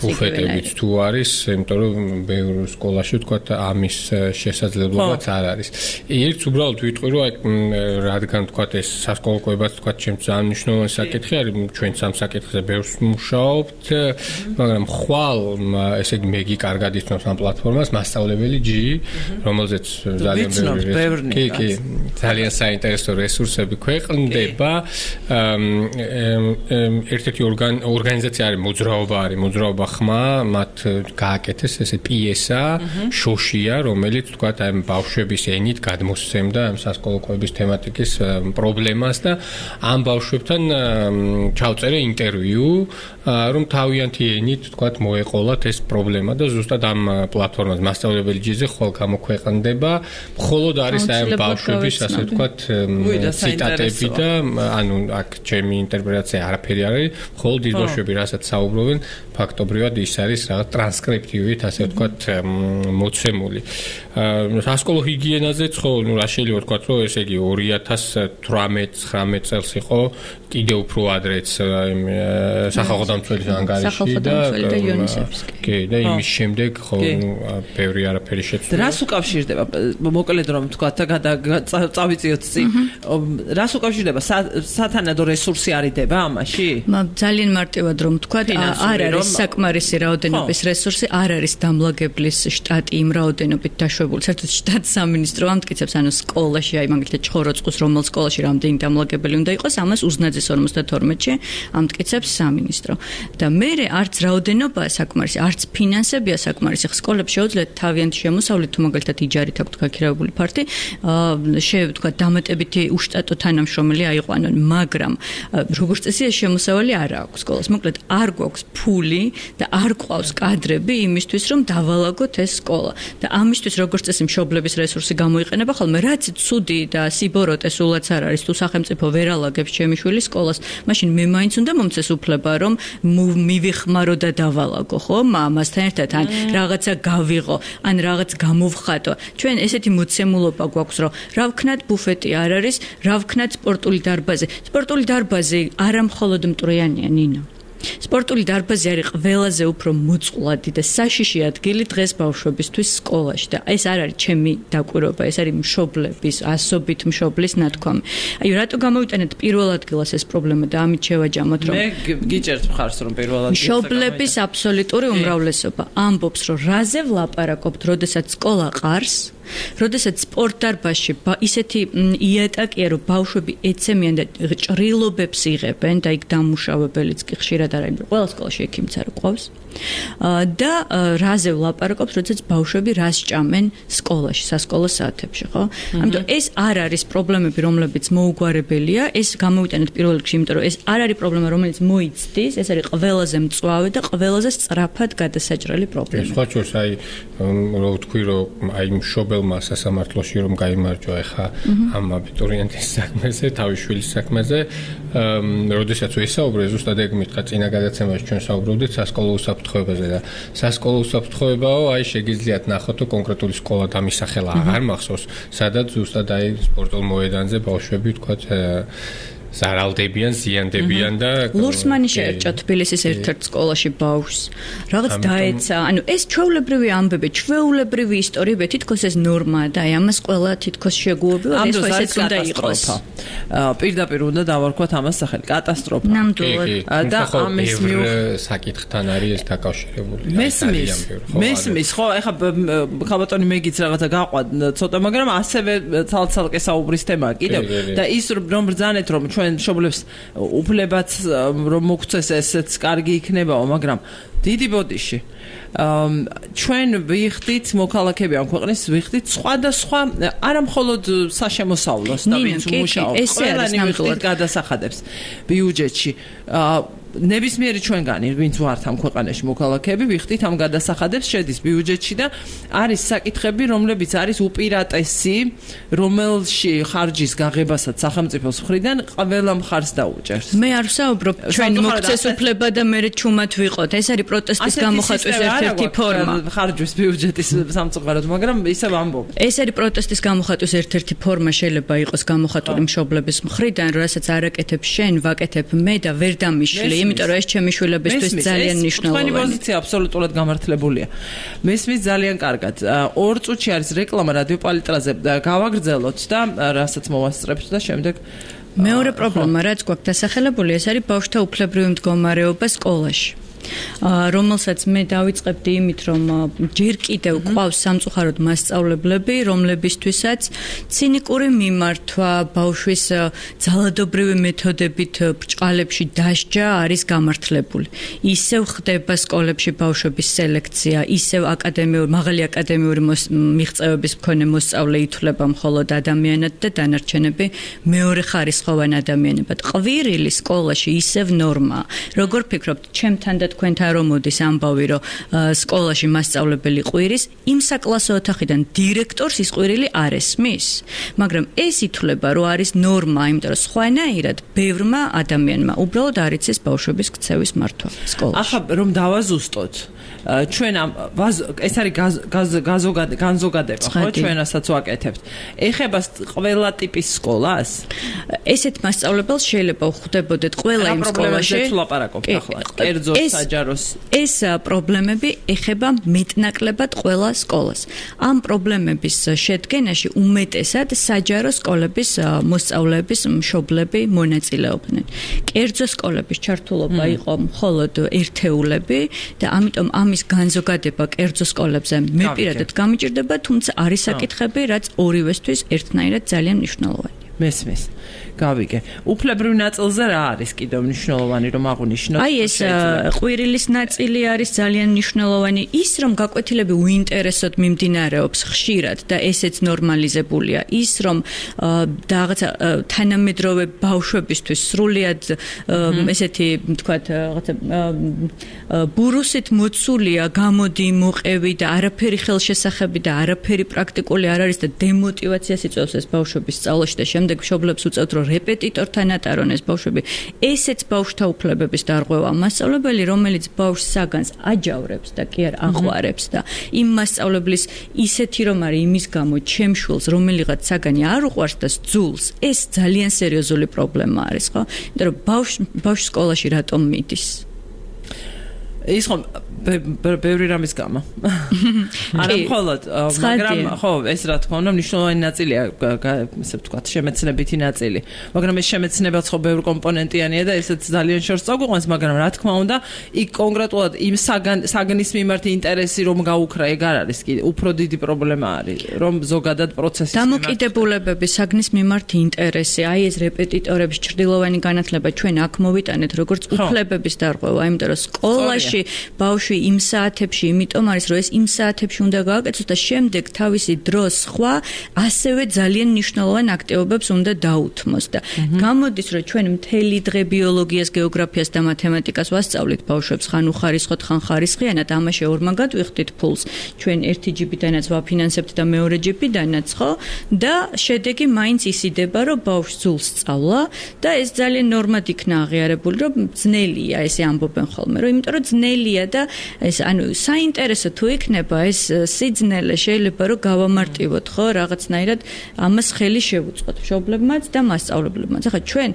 ბუფეტებიც თუ არის, იმიტომ რომ ბევრ სკოლაში ვთქვათ ამის შესაძლებლობაც არ არის. ერთს უბრალოდ ვიტყვი რომ რადგან ვთქვათ ეს სასკოლო კვებაც ვთქვათ ჩემს ძალიან მნიშვნელოვანი საკითხი არის, ჩვენ სამ საკითხზე ბევრს მუშაობთ, მაგრამ ხვალ ესე იგი მეგი კარგად იცნობს ამ პლატფორმას, მასწავლებელი ჯი, რომელზეც ძალიან ბევრი კი კი ძალიან საინტერესო რესურსები ქვეყნდება. ერთ-ერთი ორგანიზაცია არის მოძრაობა არის, მოძრაობა ხმა, მათ გააკეთეს ესე პიესა, შოშია, რომელიც თქვათ აი ბავშვების ენით გადმოსცემდა ამ სასკოლო კვების თემატიკის პრობლემას და ამ ბავშვებთან ჩავწერე ინტერვიუ, რომ თავიანთი ენით თქვათ მოეყოლათ ეს პრობლემა და ზუსტად ამ პლატფორმაზე მასწავლებელი ჯიზე ხვალ გამოქვეყნდება. მხოლოდ არის აი ამ ბავშვების ასე ვთქვათ ციტატები და ანუ აქ ჩემი ინტერპრეტაცია არაფერი არ არის, მხოლოდ ის ბავშვები რასაც საუბრობენ, ფაქტობრივად ის არის რაღაც ტრანსკრიპტივით ასე ვთქვათ მოცემული. სასკოლო ჰიგიენაზეც ხო, ნუ რა შეიძლება ვთქვათ, რომ ესე იგი ორი ათას თვრამეტ ცხრამეტ წელს იყო კიდე უფრო ადრეც სახალხო დამცველის ანგარიში და კი და იმის შემდეგ ხო ბევრი არაფერი შეცვლა. რას უკავშირდება? მოკლედ რომ ვთქვათ და წავიწიოთ წინ. რას უკავშირდება? სათანადო რესურსი არიდება ამაში? ძალიან მარტივად რომ ვთქვათ, არ არის საკმარისი რაოდენობის რესურსი, არ არის დამლაგებლის შტატი იმ რაოდენობით დაშვებული. საერთოდ შტატ სამინისტრო ამტკიცებს, ანუ სკოლაში, აი მაგალითად ჩხოროწყუს რომელ სკოლაში რამდენი დამლაგებელი უნდა იყოს, ამას უზნაძის ორმოცდათორმეტში ამტკიცებს სამინისტრო. და მე არც რაოდენობა საკმარისი, არც ფინანსებია საკმარისი. სკოლებს შეუძლიათ თავიანთი შემოსავლით, თუ მაგალითად იჯარით აქვთ გაქირავებული ფართი, შევთქვათ დამატებითი უშტატო თანამშრომელი აიყვანონ, მაგრამ როგორც წესი ეს შემოსავალი არ აქვს სკოლას. მოკლედ არ გვაქვს ფული და არ გვყავს კადრები იმისთვის, რომ დავალაგოთ ეს სკოლა. და ამისთვის როგორც წესი მშობლების რესურსი გამოიყენება, ხოლმე რაც ცუდი და სიბოროტე სულაც არ არის, თუ სახელმწიფო ვერ ალაგებს ჩემი შვილის სკოლას, მაშინ მე მაინც უნდა მომცეს უფლება, რომ მივიხმარო და დავალაგო, ხო? მამასთან ერთად ან რაღაცა გავიღო, ან რაღაც გამოვხატო. ჩვენ ესეთი მოცემულობა გვაქვს, რომ რა ვქნათ ბუფეტი არ არის, რა ვქნათ სპორტული დარბაზი. სპორტული დარბაზი არა მხოლოდ მტრიანია, ნინო. სპორტული დარბაზი არის ყველაზე უფრო მოწყვლადი და საშიში ადგილი დღეს ბავშვებისთვის სკოლაში და ეს არ არის ჩემი დაკვირვება, ეს არის მშობლების, ასობით მშობლის ნათქვამი. აი რატო გამოვიტანეთ პირველ ადგილას ეს პრობლემა და ამით შევაჯამოთ რომ მე გიჭერთ მხარს რომ პირველ ადგილას მშობლების აბსოლუტური უმრავლესობა ამბობს რომ რაზე ვლაპარაკობთ, როდესაც სკოლა ყარს, როდესაც სპორტ დარბაზში ისეთი იატაკია რომ ბავშვები ეცემიან და ჭრილობებს იღებენ და იქ დამუშავებელიც კი ხშირად არ არის, ყველა სკოლაში ექიმიც არ ყავს. და რაზე ვლაპარაკობთ, როდესაც ბავშვები რას ჭამენ სკოლაში, სასკოლო საათებში, ხო? ამიტომ ეს არ არის პრობლემები, რომლებიც მოუგვარებელია, ეს გამოვიტანეთ პირველ რიგში, იმიტომ რომ ეს არ არის პრობლემა, რომელიც მოიცდის, ეს არის ყველაზე მწვავე და ყველაზე სწრაფად გადასაჭრელი პრობლემა. სხვა შორს აი რო ვთქვი, რომ აი მშობელმა სასამართლოში რომ გაიმარჯვა ეხა ამ აბიტურიენტის საქმეზე, თავის შვილის საქმეზე, როდესაც ვისაუბრე, ზუსტად ეგ მითხრა წინა გადაცემაში ჩვენ საუბრობდით სასკოლო უსაფრთხოებაზე და სასკოლო უსაფრთხოებაო, აი შეგიძლიათ ნახოთ, რომ კონკრეტული სკოლა დამისახელა აღარ მახსოვს, სადაც ზუსტად აი სპორტულ მოედანზე ბავშვები თქვათ ზარალდებიან, ზიანდებიან და ლურსმანი შეერჭა თბილისის ერთ-ერთ სკოლაში ბავშვს. რაღაც დაეცა, ანუ ეს ჩვეულებრივი ამბები, ჩვეულებრივი ისტორიები, თითქოს ეს ნორმაა და აი ამას ყველა თითქოს შეგუებია, ეს ხო ესეც უნდა იყოს. პირდაპირ უნდა დავარქვათ ამას სახელი, კატასტროფა. ნამდვილად. და ამის მიუხედავად საკითხთან არის ეს დაკავშირებული. მესმის, მესმის, ხო, ეხლა ხალბატონი მეგიც რაღაცა გაყვად ცოტა, მაგრამ ასევე ცალ-ცალკე საუბრის თემაა კიდევ და ის რომ ბრძანეთ რომ ჩვენ მშობლებს უფლებაც რომ მოგცეს ესეც კარგი იქნებაო, მაგრამ დიდი ბოდიში ჩვენ ვიხდით მოქალაქეები ამ ქვეყნის ვიხდით სხვადასხვა არა მხოლოდ საშემოსავლოს და ვინც უმუშაობს, ყველანი ვიხდით გადასახადებს ბიუჯეტში. ნებისმიერი ჩვენგანი, ვინც ვართ ამ ქვეყანაში მოქალაქეები, ვიხდით ამ გადასახადებს შედის ბიუჯეტში და არის საკითხები, რომლებიც არის უპირატესი, რომელში ხარჯის გაღებასაც სახელმწიფოს მხრიდან ყველა მხარს დაუჭერს. მე არ ვსაუბრობ ჩვენ მოგცეს უფლება და მე ჩუმად ვიყოთ. ეს არის პროტესტის გამოხატვის ერთ-ერთი ფორმა. ხარჯვის ბიუჯეტის სამწუხაროდ, მაგრამ ისევ ამბობ. ეს არის პროტესტის გამოხატვის ერთ-ერთი ფორმა, შეიძლება იყოს გამოხატული მშობლების მხრიდან, რასაც არაკეთებ შენ, ვაკეთებ მე და ვერ დამიშლი. იმიტომ რომ ეს ჩემი შვილებისთვის ძალიან მნიშვნელოვანია. თქვენი პოზიცია აბსოლუტურად გამართლებულია. მესმის ძალიან კარგად. ორ წუთში არის რეკლამა რადიო პალიტრაზე. გავაგრძელოთ და რასაც მოვასწრებთ და შემდეგ მეორე პრობლემა, რაც გვაქვს დასახელებული, ეს არის ბავშვთა უფლებრივი მდგომარეობა სკოლაში. რომელსაც მე დავიწყებდი იმით, რომ ჯერ კიდევ ყავს სამწუხაროდ მასწავლებლები, რომლებისთვისაც ცინიკური მიმართვა, ბავშვის ძალადობრივი მეთოდებით ბრჭყალებში დასჯა არის გამართლებული. ისევ ხდება სკოლებში ბავშვების სელექცია, ისევ აკადემიური, მაღალი აკადემიური მიღწევების მქონე მოსწავლე ითვლება მხოლოდ ადამიანად და დანარჩენები მეორე ხარისხოვან ადამიანებად. ყვირილი სკოლაში ისევ ნორმაა. როგორ ფიქრობთ, ჩემთან და თქვენთან რომ მოდის ამბავი, რომ სკოლაში მასწავლებელი ყვირის, იმ საკლასო ოთახიდან დირექტორს ის ყვირილი არ ესმის, მაგრამ ეს ითვლება, რომ არის ნორმა, იმიტომ რომ სხვანაირად ბევრმა ადამიანმა უბრალოდ არ იცის ბავშვების ქცევის მართვა სკოლაში. ახლა რომ დავაზუსტოთ, ჩვენ ამ ეს არის განზოგადება, ხო, ჩვენასაც ვაკეთებთ. ეხება ყველა ტიპის სკოლას? ესეთ მასწავლებელს შეიძლება ხვდებოდეთ ყველა იმ სკოლაში. კერძო საჯაროს. ეს პრობლემები ეხება მეტნაკლებად ყველა სკოლას. ამ პრობლემების შედგენაში უმეტესად საჯარო სკოლების მოსწავლეების მშობლები მონაწილეობდნენ. კერძო სკოლების ჩართულობა იყო მხოლოდ ერთეულები და ამიტომ ამის განზოგადება კერძო სკოლებზე მე პირადად გამიჭირდება, თუმცა არის საკითხები, რაც ორივესთვის ერთნაირად ძალიან მნიშვნელოვანია. მესმის. გავიგე. უფლებრივ ნაწილზე რა არის კიდევ მნიშვნელოვანი რომ აღვნიშნოთ? აი ეს ყვირილის ნაწილი არის ძალიან მნიშვნელოვანი. ის რომ გაკვეთილები უინტერესოდ მიმდინარეობს ხშირად და ესეც ნორმალიზებულია. ის რომ რაღაცა თანამედროვე ბავშვებისთვის სრულიად ესეთი თქვათ რაღაცა ბურუსით მოცულია, გამოდი, მოყევი და არაფერი ხელშესახები და არაფერი პრაქტიკული არ არის და დემოტივაციას იწვევს ეს ბავშვების სწავლაში და შემდეგ მშობლებს უწევთ რომ რეპეტიტორთან ატარონ ეს ბავშვები. ესეც ბავშვთა უფლებების დარღვევა. მასწავლებელი, რომელიც ბავშვს საგანს აჯავრებს და კი არ აღვარებს და იმ მასწავლებლის ისეთი რომ არის იმის გამო ჩემ შვილს რომელიღაც საგანი არ უყვარს და ძულს, ეს ძალიან სერიოზული პრობლემა არის, ხო? იმიტომ რომ ბავშვ ბავშვ სკოლაში რატომ მიდის? ის ხომ ბევრი რამის გამა. არა მხოლოდ, მაგრამ ხო, ეს რა თქმა უნდა მნიშვნელოვანი ნაწილია, ესე ვთქვათ, შემეცნებითი ნაწილი. მაგრამ ეს შემეცნებაც ხო ბევრი კომპონენტიანია და ესეც ძალიან შორს წაგვიყვანს, მაგრამ რა თქმა უნდა, იქ კონკრეტულად იმ საგნის მიმართ ინტერესი რომ გაუქრა, ეგ არ არის კიდე უფრო დიდი პრობლემა არის, რომ ზოგადად პროცესის დამოკიდებულებები, საგნის მიმართ ინტერესი, აი ეს რეპეტიტორების ჭრდილოვანი განათლება ჩვენ აქ მოვიტანეთ როგორც უფლებების დარღვევა, იმიტომ რომ სკოლაში ბავშვი იმ საათებში, იმიტომ არის რომ ეს იმ საათებში უნდა გააკეთოს და შემდეგ თავისი დროს სხვა ასევე ძალიან მნიშვნელოვან აქტივობებს უნდა დაუთმოს და გამოდის რომ ჩვენ მთელი დღე ბიოლოგიას, გეოგრაფიას და მათემატიკას ვასწავლით ბავშვებს ხან უხარისხოთ, ხან ხარისხიანად, ამაში ორმაგად ვიხდით ფულს. ჩვენ ერთი ჯიბიდანაც ვაფინანსებთ და მეორე ჯიბიდანაც, ხო? და შედეგი მაინც ისიდება, რომ ბავშვს სულს სწავლა და ეს ძალიან ნორმად იქნა აღიარებული, რომ ძნელია, ესე ამბობენ ხოლმე, რომ იმიტომ რომ ძნელია და ეს ანუ საინტერესო თუ იქნება ეს სიძნელე შეიძლება რომ გავამარტივოთ, ხო, რაღაცნაირად ამას ხელი შევუწყოთ მშობლებმაც და მასწავლებლებმაც. ახლა ჩვენ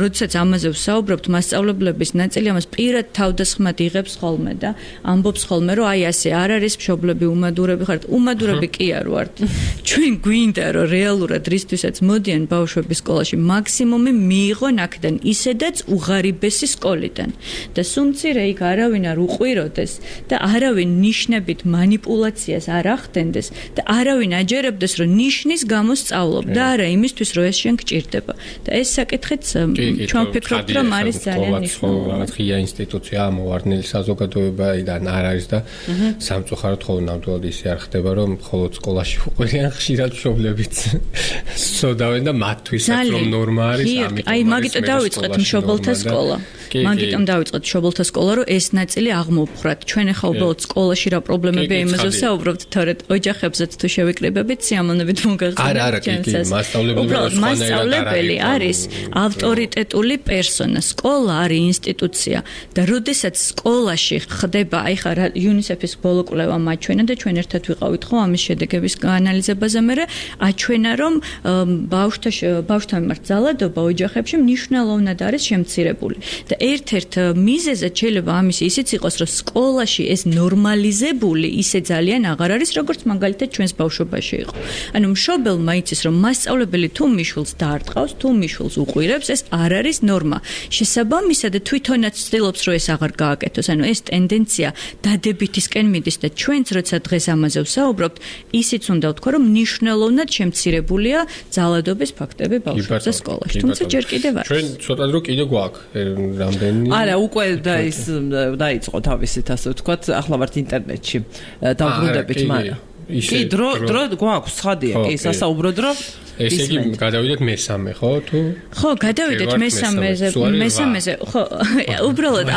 როდესაც ამაზე ვსაუბრობთ, მასწავლებლების ნაწილი ამას პირად თავდასხმად იღებს ხოლმე და ამბობს ხოლმე, რომ აი ასე არ არის მშობლები უმადურები ხართ. უმადურები კი არ ვართ. ჩვენ გვინდა რომ რეალურად რისთვისაც მოდიან ბავშვები სკოლაში მაქსიმუმი მიიღონ აქედან ისედაც უღარიბესი სკოლიდან. და სუმცირე იქ არავინ არ უყვიროდეს და არავინ ნიშნებით манипуляციას არ ახდენდეს და არავინ აჯერებდეს რომ ნიშნის გამო სწავლობ და არა იმისთვის რომ ეს შენ გჭირდება. და ეს საკითხიც ჩვენ ვფიქრობთ რომ არის ძალიან მნიშვნელოვანი. რაღაც ღია ინსტიტუცია მოვარდნილი საზოგადოებიდან არ არის და სამწუხაროდ ხოლმე ნამდვილად ისე არ ხდება რომ მხოლოდ სკოლაში უყურიან ხშირად მშობლებიც სწოდავენ და მათთვისაც რომ ნორმა არის ამიტომ აი მაგიტომ დავიწყეთ მშობელთა სკოლა. მაგიტომ დავიწყეთ მშობელთა სკოლა რომ ეს ნაწილი აღმოვფხრათ. ჩვენ ახლა უბრალოდ სკოლაში რა პრობლემებია იმაზე ვსაუბრობთ, თორედ ოჯახებზეც თუ შევიკრიბებით სიამოვნებით მოგახსენებთ ჩვენსაც. უბრალოდ მასწავლებელი არის ავტორიტეტული პერსონა, სკოლა არის ინსტიტუცია და როდესაც სკოლაში ხდება, აი ხა იუნისეფის ბოლო კვლევა მაჩვენა და ჩვენ ერთად ვიყავით ხო ამის შედეგების გაანალიზებაზე, მე აჩვენა რომ ბავშვთა ბავშვთა მიმართ ძალადობა ოჯახებში მნიშვნელოვნად არის შემცირებული და ერთ-ერთ მიზეზად შეიძლება ამის ისიც იყოს რომ სკოლაში ეს ნორმალიზებული ისე ძალიან აღარ არის როგორც მაგალითად ჩვენს ბავშვობაში იყო. ანუ მშობელმა იცის რომ მასწავლებელი თუ მიშულს დაარტყავს, თუ მიშულს უყვირებს, ეს არ არის ნორმა. შესაბამისად თვითონაც ცდილობს რომ ეს აღარ გააკეთოს. ანუ ეს ტენდენცია დადებითისკენ მიდის და ჩვენც როცა დღეს ამაზე ვსაუბრობთ, ისიც უნდა ვთქვა რომ მნიშვნელოვნად შემცირებულია ძალადობის ფაქტები ბავშვებზე სკოლაში. თუმცა ჯერ კიდევ არის. ჩვენ ცოტა დრო კიდე გვაქვს რამდენი? არა, უკვე და ის დაიწყო თავისით ასე ვთქვათ, ახლა ვართ ინტერნეტში. დავბრუნდებით, მაგრამ კი დრო დრო გვაქვს, ცხადია, კი სასაუბრო დრო. ესე იგი გადავიდეთ მესამე, ხო? თუ ხო, გადავიდეთ მესამეზე, მესამეზე. ხო, უბრალოდ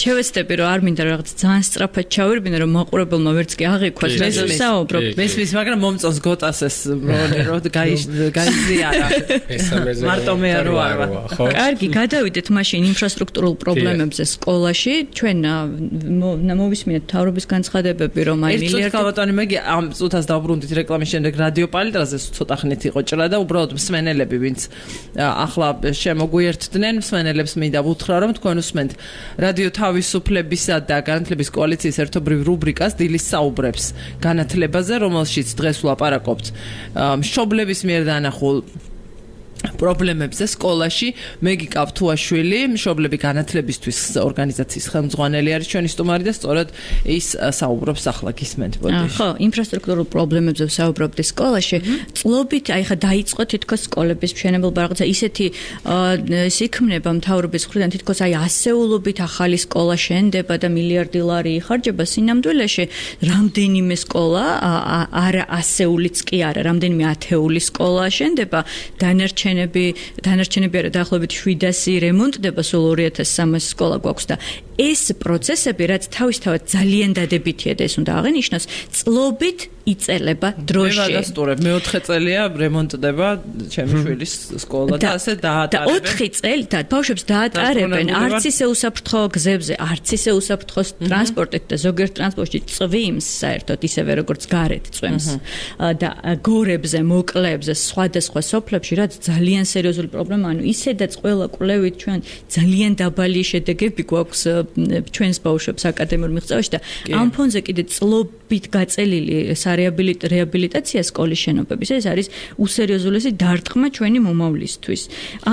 შევეცდები რომ არ მინდა რაღაც ძალიან სწრაფად ჩავირბინო რომ მაყურებელმა ვერც კი აღიქვას მე ვსაუბრობ. მესმის, მაგრამ მომწონს გოტას ეს რომ გაიზიარა. მესამეზე მარტო მე არ ვარ, ხო? კარგი, გადავიდეთ მაშინ ინფრასტრუქტურულ პრობლემებზე სკოლაში. ჩვენ მოვისმინეთ მთავრობის განცხადებები რომ აი მილიარდი ერთ წუთი მე ამ წუთას დავბრუნდით რეკლამის შემდეგ რადიო პალიტრაზე ცოტა ხნით იყო და უბრალოდ მსმენელები ვინც ახლა შემოგვიერთდნენ მსმენელებს მინდა ვუთხრა რომ თქვენ უსმენთ რადიო თავისუფლებისა და განათლების კოალიციის ერთობრივ რუბრიკას დილის საუბრებს განათლებაზე რომელშიც დღეს ვლაპარაკობთ მშობლების მიერ დანახულ პრობლემებზე სკოლაში. მეგიკა თუაშვილი, მშობლები განათლებისთვის ორგანიზაციის ხელმძღვანელი არის ჩვენი სტუმარი და სწორედ ის საუბრობს ახლა გისმენთ ბოდიში. ხო, ინფრასტრუქტურულ პრობლემებზე ვსაუბრობთ სკოლაში. წლობით აი ხა დაიწყო თითქოს სკოლების მშენებლობა რაღაცა ისეთი ის იქმნება მთავრობის მხრიდან თითქოს აი ასეულობით ახალი სკოლა შენდება და მილიარდი ლარი იხარჯება სინამდვილეში. რამდენიმე სკოლა არა ასეულიც კი არა, რამდენიმე ათეული სკოლა შენდება. დანარჩენი დანარჩენები არა დაახლოებით შვიდასი რემონტდება, სულ ორი ათას სამასი სკოლა გვაქვს და ეს პროცესები რაც თავისთავად ძალიან დადებითია და ეს უნდა აღინიშნოს, წლობით იწელება დროში. მე ვადასტურებ, მეოთხე წელია რემონტდება ჩემი შვილის სკოლა და ასე დაატარებენ. და ოთხი წელი და ბავშვებს დაატარებენ არც ისე უსაფრთხო გზებზე, არც ისე უსაფრთხო ტრანსპორტით და ზოგიერთ ტრანსპორტში წვიმს საერთოდ ისევე როგორც გარეთ წვიმს და გორებზე, მოკლეებზე, სხვადასხვა სოფლებში რაც ძალიან ძალიან სერიოზული პრობლემა, ანუ ისედაც ყველა კვლევით ჩვენ ძალიან დაბალი შედეგები გვაქვს ჩვენს ბავშვებს აკადემიურ მიღწევაში და ამ ფონზე კიდე წლობით გაწელილი სარეაბილიტაცია სკოლის შენობების ეს არის უსერიოზულესი დარტყმა ჩვენი მომავლისთვის.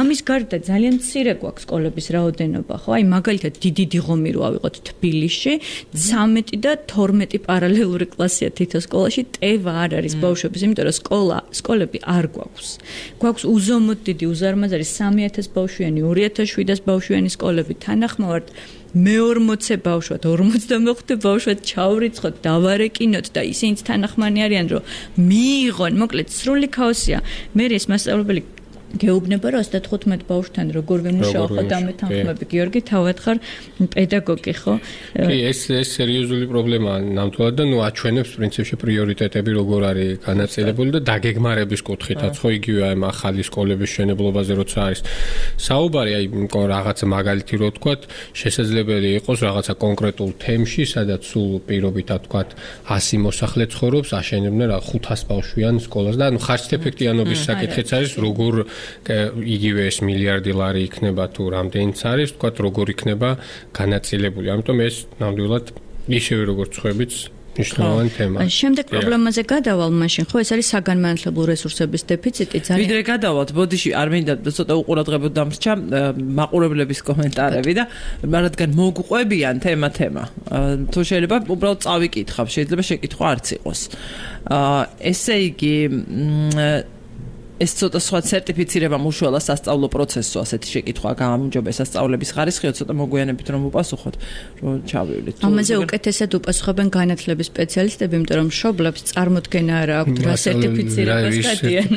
ამის გარდა ძალიან მცირე გვაქვს სკოლების რაოდენობა, ხო? აი მაგალითად დიდი დიღომი რო ავიღოთ თბილისში, ცამეტი და თორმეტი პარალელური კლასია თითო სკოლაში, ტევა არ არის ბავშვების, იმიტომ რომ სკოლა, სკოლები არ გვაქვს. გვაქვს უზომოდ დიდი უზარმაზარი სამი ათას ბავშვიანი, ორი ათას შვიდას ბავშვიანი სკოლები თანახმოვართ მეორმოცე ბავშვად, ორმოცდამეხუთე ბავშვად ჩავრიცხოთ, დავარეკინოთ და ისინიც თანახმანი არიან, რომ მიიღონ, მოკლედ სრული ქაოსია. მე ეს მასწავლებელი გეუბნება რომ ოცდათხუთმეტ ბავშვთან როგორ ვიმუშაო ხო დამეთანხმები გიორგი თავად ხარ პედაგოგი ხო კი ეს ეს სერიოზული პრობლემაა ნამდვილად და ნუ აჩვენებს პრინციპში პრიორიტეტები როგორ არის განაწილებული და დაგეგმარების კუთხითაც ხო იგივე აი ახალი სკოლების მშენებლობაზე როცა არის საუბარი აი რაღაცა მაგალითი რო ვთქვათ შესაძლებელი იყოს რაღაცა კონკრეტულ თემში სადაც სულ პირობითად ვთქვათ ასი მოსახლე ცხოვრობს აშენებდნენ რა ხუთას ბავშვიან სკოლას და ანუ ხარჯთეფექტიანობის საკითხიც არის როგორ იგივე ეს მილიარდი ლარი იქნება თუ რამდენიც არის, თქვათ როგორ იქნება განაწილებული. ამიტომ ეს ნამდვილად ისევე როგორც ხვებით მნიშვნელოვანი თემაა. შემდეგ პრობლემაზე გადავალ მაშინ, ხო, ეს არის საგანმანათლებლო რესურსების დეფიციტი ძალიან. ვიდრე გადავალთ, ბოდიში არ მინდა ცოტა უყურადღებოდ დამრჩა მაყურებლების კომენტარები და რადგან მოგყვებიან თემა თემა. თუ შეიძლება უბრალოდ წავიკითხავ, შეიძლება შეკითხვა არც იყოს. ესე იგი ეს ცოტა სხვა სერტიფიცირება მუშველა სასწავლო პროცესო ასეთი შეკითხვა გამარჯობა სასწავლების ხარისხიო ცოტა მოგვიანებით რომ უპასუხოთ რომ ჩავივლით. ამაზე უკეთესად უპასუხებენ განათლების სპეციალისტები, იმიტომ რომ მშობლებს წარმოდგენა არ აქვს რა სერტიფიცირებას გადიან.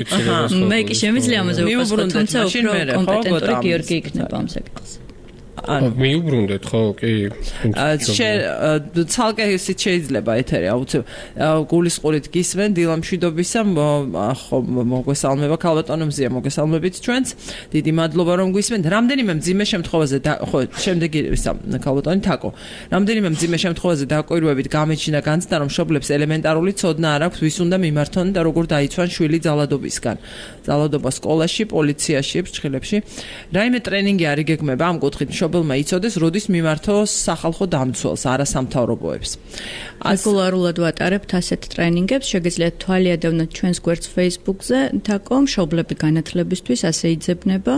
მე კი შემიძლია ამაზე უპასუხოთ, თუმცა უფრო კომპეტენტური გიორგი იქნება ამ საკითხზე. ანუ მიუბრუნდეთ ხო კი ცალკე ისიც შეიძლება ეთერი აუცილებლად გულისყურით გისმენ დილამშვიდობისა ხო მოგესალმება ქალბატონომზია მოგესალმებით ჩვენს დიდი მადლობა რომ გვისმენთ რამდენიმე მძიმე შემთხვევაზე ხო შემდეგი ისა ქალბატონი თაკო რამდენიმე მძიმე შემთხვევაზე დაკვირვებით გამეჩინა განცდა რომ მშობლებს ელემენტარული ცოდნა არ აქვს ვის უნდა მიმართონ და როგორ დაიცვან შვილი ძალადობისგან ძალადობა სკოლაში პოლიციაში ფრჩხილებში რაიმე ტრენინგი არ იგეგმება ამ კუთხით მშობელმა იცოდეს, როდის მიმართო სახალხო დამცველს, არასამთავრობოებს. რეგულარულად ვატარებთ ასეთ ტრენინგებს, შეგიძლიათ თვალი ადევნოთ ჩვენს გვერდს Facebook-ზე, თაკო მშობლები განათლებისთვის ასე იძებნება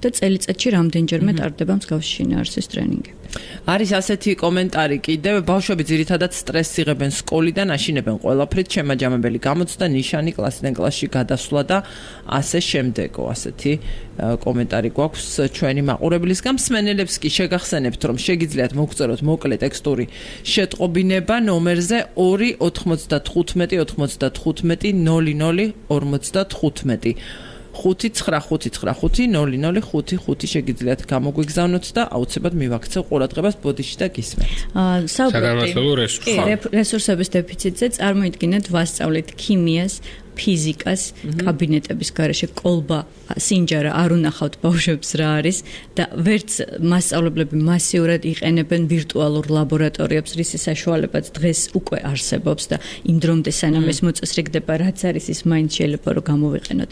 და წელიწადში რამდენჯერმე ტარდება მსგავსი შინაარსის ტრენინგები. არის ასეთი კომენტარი კიდევ ბავშვები ძირითადად სტრესს იღებენ სკოლიდან, აშინებენ ყველაფრით, შემაჯამებელი გამოცდა, ნიშანი კლასიდან კლასში გადასვლა და ასე შემდეგო ასეთი კომენტარი გვაქვს ჩვენი მაყურებლისგან. მსმენელებს კი შეგახსენებთ, რომ შეგიძლიათ მოგწეროთ მოკლე ტექსტური შეტყობინება ნომერზე ორი ოთხმოცდათხუთმეტი ოთხმოცდათხუთმეტი ნოლი ნოლი ორმოცდათხუთმეტი. ხუთი ცხრა ხუთი ცხრა ხუთი ნოლი ნოლი ხუთი ხუთი შეგიძლიათ გამოგვიგზავნოთ და აუცილებლად მივაქცევ ყურადღებას ბოდიში და გისმენთ. საგანმანათლებლო რესურსების დეფიციტზე წარმოიდგინეთ ვასწავლეთ ქიმიას ფიზიკას კაბინეტების გარეშე კოლბა სინჯარა არ უნახავთ ბავშვებს რა არის და ვერც მასწავლებლები მასიურად იყენებენ ვირტუალურ ლაბორატორიებს რისი საშუალებაც დღეს უკვე არსებობს და იმ დრომდე სანამ ეს მოწესრიგდება რაც არის ის მაინც შეიძლება რომ გამოვიყენოთ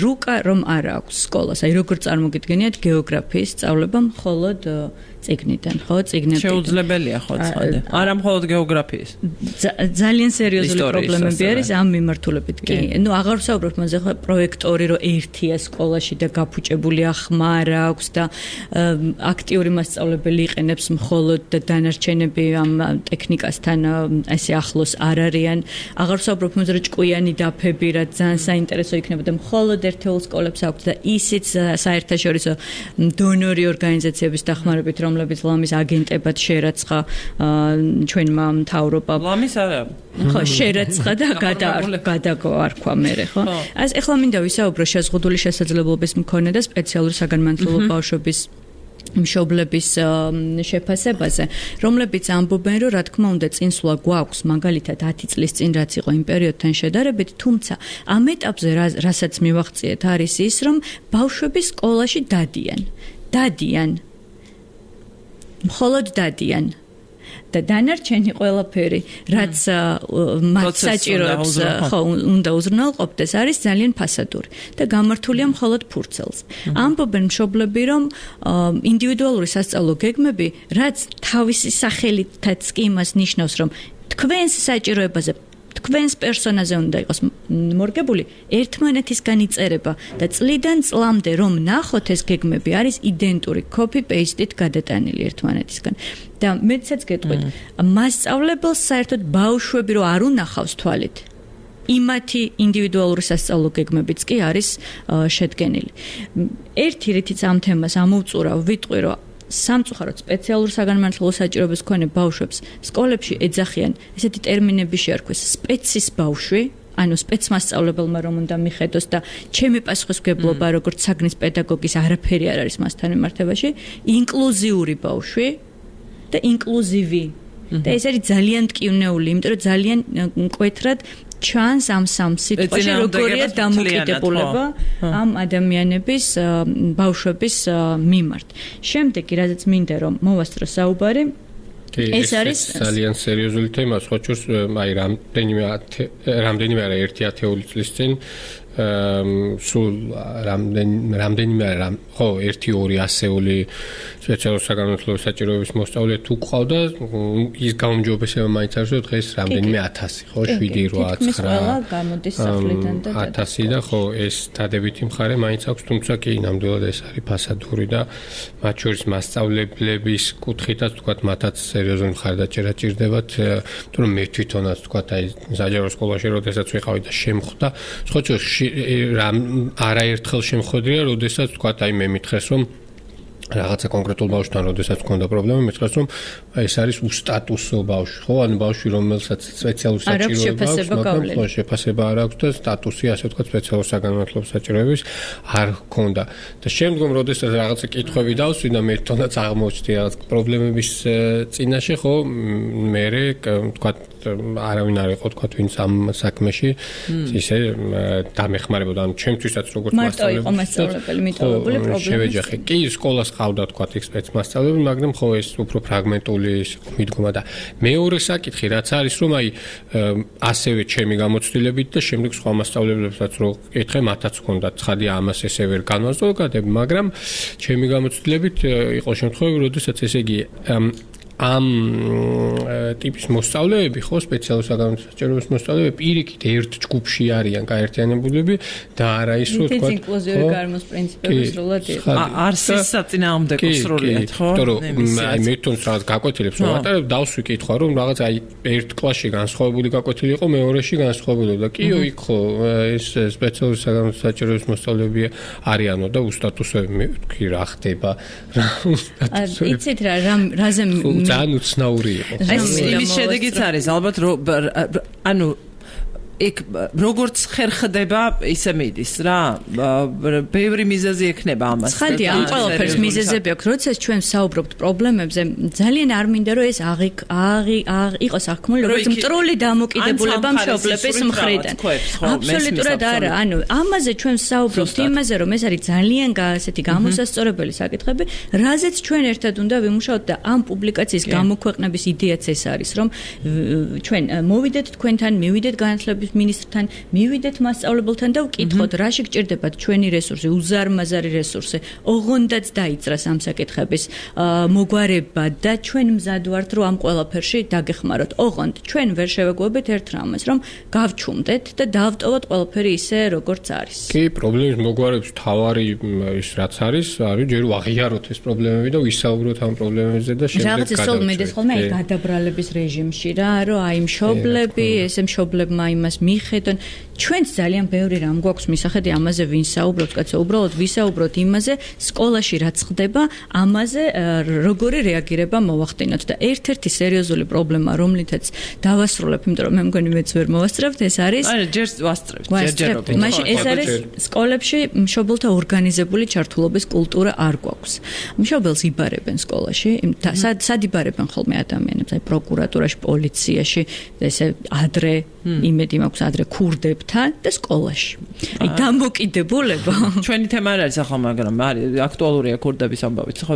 რუკა რომ არ აქვს სკოლას აი როგორ წარმოგიდგენიათ გეოგრაფიის სწავლება მხოლოდ წიგნიდან ხო წიგნები შეუძლებელია ხო ცხადე არა მხოლოდ გეოგრაფიის ძალიან სერიოზული პრობლემები არის ამ მიმართულებით კი ნუ აღარ ვსაუბრობ მასზე ხო პროექტორი რომ ერთია სკოლაში და გაფუჭებულია ხმა რა აქვს და აქტიური მასწავლებელი იყენებს მხოლოდ და დანარჩენები ამ ტექნიკასთან ესე ახლოს არ არიან აღარ ვსაუბრობ მასზე რომ ჭკვიანი დაფები რა ძალიან საინტერესო იქნება და მხოლოდ ერთეულ სკოლებს აქვს და ისიც საერთაშორისო დონორი ორგანიზაციების დახმარებით რომლებიც ლამის აგენტებად შერაცხა ჩვენმა მთავრობამ ლამის არა ხო შერაცხა და გადაგარქვა მერე ხო אז ეხლა მინდა ვისაუბრო შეზღუდული შესაძლებლობის მქონე და სპეციალური საგანმანათლებლო ბავშვების მშობლების შეფასებაზე რომლებიც ამბობენ რომ რა თქმა უნდა წინსვლა გვაქვს მაგალითად ათი წლის წინ რაც იყო იმ პერიოდთან შედარებით თუმცა ამ ეტაპზე რასაც მივახციეთ არის ის რომ ბავშვები სკოლაში დადიან დადიან მხოლოდ დადიან და დანარჩენი ყველაფერი, რაც მათ საჭიროებს, ხო, უნდა უზრუნველყოფდეს, არის ძალიან ფასადური და გამართულია მხოლოდ ფურცელს. ამბობენ მშობლები, რომ ინდივიდუალური სასწავლო გეგმები, რაც თავისი სახელითაც კი იმას ნიშნავს, რომ თქვენს საჭიროებაზე თქვენს პერსონაზე უნდა იყოს მორგებული ერთმანეთისგან იწერება და წლიდან წლამდე რომ ნახოთ ეს გეგმები არის იდენტური copy-paste-ით გადატანილი ერთმანეთისგან და მეცაც გეტყვით მასწავლებელს საერთოდ ბავშვები რო არ უნახავს თვალით იმათი ინდივიდუალური სასწავლო გეგმებიც კი არის შედგენილი ერთი რითიც ამ თემას ამოვწურავ ვიტყვი რომ სამწუხაროდ სპეციალურ საგანმანათლებლო საჭიროების მქონე ბავშვებს სკოლებში ეძახიან ესეთი ტერმინები შეარქვეს სპეცის ბავშვი ანუ სპეცმასწავლებელმა რომ უნდა მიხედოს და ჩემი პასუხისმგებლობა როგორც საგნის პედაგოგის არაფერი არ არის მასთან მიმართებაში ინკლუზიური ბავშვი და ინკლუზივი და ეს არის ძალიან ტკივნეული იმიტომ რომ ძალიან მკვეთრად ჩანს ამ სამ სიტყვაში როგორია დამოკიდებულება ამ ადამიანების ბავშვების მიმართ. შემდეგი რაზეც მინდა რომ მოვასწრო საუბარი ეს არის ძალიან სერიოზული თემა, სხვა შორს აი რამდენიმე რამდენიმე არა ერთი ათეული წლის წინ სულ რამდენი რამდენიმე რამ ხო ერთი ორი ასეული სპეციალურ საგანმანათლებლო საჭიროების მოსწავლე თუ ყავდა ის გაუმჯობესება მაინც არის რომ დღეს რამდენიმე ათასი ხო შვიდი რვა ცხრა გამოდის სახლიდან და ათასი და ხო ეს დადებითი მხარე მაინც აქვს თუმცა კი ნამდვილად ეს არის ფასადური და მათ შორის მასწავლებლების კუთხითაც თქვა მათაც სერიოზული მხარდაჭერა ჭირდებათ თუ რომ მე თვითონაც თქვა აი საჯარო სკოლაში როდესაც ვიყავი და შემხვდა სხვა შორის რამ არაერთხელ შემხვედრია, როდესაც თქვა აი მე მითხრეს რომ რაღაცა კონკრეტულ ბავშვთან როდესაც მქონდა პრობლემა, მითხრეს რომ ეს არის უსტატუსო ბავშვი, ხო? ანუ ბავშვი რომელსაც სპეციალური საჭიროება აქვს, მაგრამ ხო შეფასება არ აქვს და სტატუსი ასე ვთქვათ სპეციალურ საგანმანათლებლო საჭიროების არ ჰქონდა. და შემდგომ როდესაც რაღაცა კითხვები დავსვი და მე თვითონაც აღმოჩნდი რაღაც პრობლემების წინაშე, ხო? მე ვთქვათ არავინ არ იყო თქვა ვინც ამ საქმეში ისე დამეხმარებოდა ანუ ჩემთვისაც როგორც მასწავლებელი მიტოვებული პრობლემა შევეჯახე კი სკოლას ყავდა თქვა ექსპერტ მასწავლებელი მაგრამ ხო ეს უფრო ფრაგმენტული მიდგომა და მეორე საკითხი რაც არის რომ აი ასევე ჩემი გამოცდილებით და შემდეგ სხვა მასწავლებლებსაც რო ეკითხე მათაც ჰქონდა ცხადი ამას ესე ვერ განვასწავლებ მაგრამ ჩემი გამოცდილებით იყო შემთხვევები როდესაც ესე იგი ამ ტიპის მოსწავლეები ხო სპეციალურ საგანმანათლებლო საჭიროების მოსწავლეები პირიქით ერთ ჯგუფში არიან გაერთიანებულები და არა ის რომ თქვა ინკლუზიური გარემოს პრინციპები სრულად იყო არსის საწინააღმდეგო სრულად ხო აი მე თვითონ რაღაც გაკვეთილებს ვატარებ დავსვი კითხვა რომ რაღაც აი ერთ კლასში განსხვავებული გაკვეთილი იყო მეორეში განსხვავებული და კიო იქ ხო ეს სპეციალურ საგანმანათლებლო საჭიროების მოსწავლეები არიანო და უსტატუსოები მე ვთქვი რა ხდება იცით რა რაზე ძალიან უცნაური იყო. ეს იმის შედეგიც არის ალბათ ანუ ეგ როგორც ხერხდება ისე მიდის რა ბევრი მიზეზი ექნება ამას ხალხი ამ ყველაფერს მიზეზები აქვს როდესაც ჩვენ საუბრობთ პრობლემებზე ძალიან არ მინდა რომ ეს აღი აღი იყოს აღქმული როგორც მტრული დამოკიდებულება მშობლების მხრიდან აბსოლუტურად არა ანუ ამაზე ჩვენ საუბრობთ იმაზე რომ ეს არის ძალიან ასეთი გამოსასწორებელი საკითხები რაზეც ჩვენ ერთად უნდა ვიმუშაოთ და ამ პუბლიკაციის გამოქვეყნების იდეაც ეს არის რომ ჩვენ მოვიდეთ თქვენთან მივიდეთ განათლების მინისტრთან მივიდეთ მასწავლებელთან და ვკითხოთ რაში გჭირდებათ ჩვენი რესურსი უზარმაზარი რესურსი ოღონდაც დაიძრას ამ საკითხების მოგვარება და ჩვენ მზად ვართ რომ ამ ყველაფერში დაგეხმაროთ ოღონდ ჩვენ ვერ შევეგუებით ერთ რამეს რომ გავჩუმდეთ და დავტოვოთ ყველაფერი ისე როგორც არის კი პრობლემის მოგვარების თავარი ის რაც არის არის ჯერ ვაღიაროთ ეს პრობლემები და ვისაუბროთ ამ პრობლემებზე და შემდეგ გადავწყვეტ რაღაც ისე მიდის ხოლმე აი გადაბრალების რეჟიმში რა რომ აი მშობლები ესე მშობლებმა იმას მიხედონ ჩვენც ძალიან ბევრი რამ გვაქვს მისახედი ამაზე ვინ საუბრობს კაცო უბრალოდ ვისაუბროთ იმაზე სკოლაში რაც ხდება ამაზე როგორი რეაგირება მოვახდინოთ და ერთ-ერთი სერიოზული პრობლემა რომლითაც დავასრულებ იმიტომ რომ მე მგონი მეც ვერ მოვასწრებთ ეს არის აი ჯერ ვასწრებთ ჯერჯერობით მაშინ ეს არის სკოლებში მშობელთა ორგანიზებული ჩართულობის კულტურა არ გვაქვს მშობელს იბარებენ სკოლაში სად იბარებენ ხოლმე ადამიანებს აი პროკურატურაში პოლიციაში ესე ადრე იმედი მაქვს ადრე ქურდებთ მშობლებთან და სკოლაში. აი დამოკიდებულება. ჩვენი თემა არ არის ახლა, მაგრამ არის აქტუალურია ქურდების ამბავიც, ხო?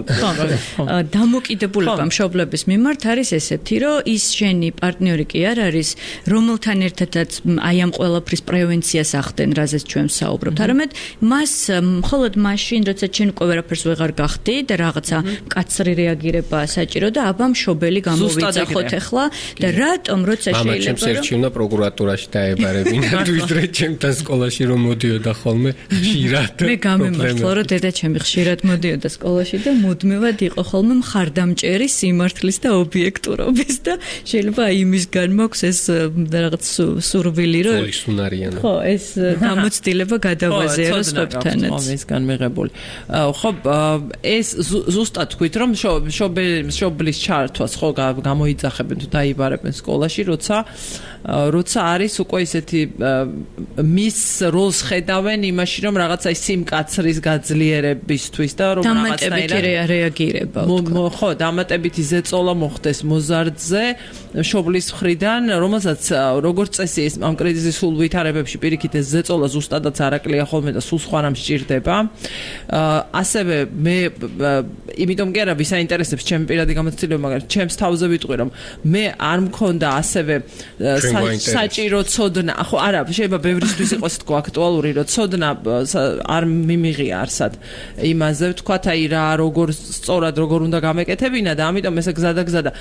დამოკიდებულება მშობლების მიმართ არის ესეთი, რომ ის შენი პარტნიორი კი არ არის, რომელთან ერთადაც აი ამ ყველაფრის პრევენციას ახდენ, რაზეც ჩვენ საუბრობთ. არამედ მას მხოლოდ მაშინ, როცა ჩვენ უკვე ვერაფერს ვეღარ გახდი და რაღაცა მკაცრი რეაგირება საჭირო და აბა მშობელი გამოვიძახოთ ახლა და რატომ როცა შეიძლება მამა ჩემს ერჩივნა პროკურატურაში დაებარებინა ვიდრე ჩემთან სკოლაში რომ მოდიოდა ხოლმე ხშირად მე გამემართლა რომ დედა ჩემი ხშირად მოდიოდა სკოლაში და მუდმივად იყო ხოლმე მხარდამჭერი სიმართლის და ობიექტურობის და შეიძლება იმისგან მაქვს ეს რაღაც სურვილი რომ ხო ეს გამოცდილება გადავაზიარო სხვებთანაც ხო ისგან მიღებული ხო ეს ზუსტად თქვით რომ მშობლის ჩართვას ხო გამოიძახებენ თუ დაიბარებენ სკოლაში როცა როცა არის უკვე ისეთი მის როლს ხედავენ იმაში რომ რაღაცა სიმკაცრის გაძლიერებისთვის და რომ რაღაცნაირად რეაგირება ხო დამატებითი ზეწოლა მოხდეს მოზარდზე მშობლის მხრიდან რომელსაც როგორც წესი ეს ამ კრიზისის სულ ვითარებებში პირიქით ეს ზეწოლა ზუსტადაც არაკლია ხოლმე და სულ სხვა რამ სჭირდება ასევე მე იმიტომ კი არა ვისაინტერესებს ჩემი პირადი გამოცდილება მაგრამ ჩემს თავზე ვიტყვი რომ მე არ მქონდა ასევე საჭირო ცოდნა ხო არა შეიძლება ბევრისთვის იყოს თქო აქტუალური რომ ცოდნა არ მიმიღია არსად იმაზე ვთქვათ აი რა როგორ სწორად როგორ უნდა გამეკეთებინა და ამიტომ ესე გზადაგზა და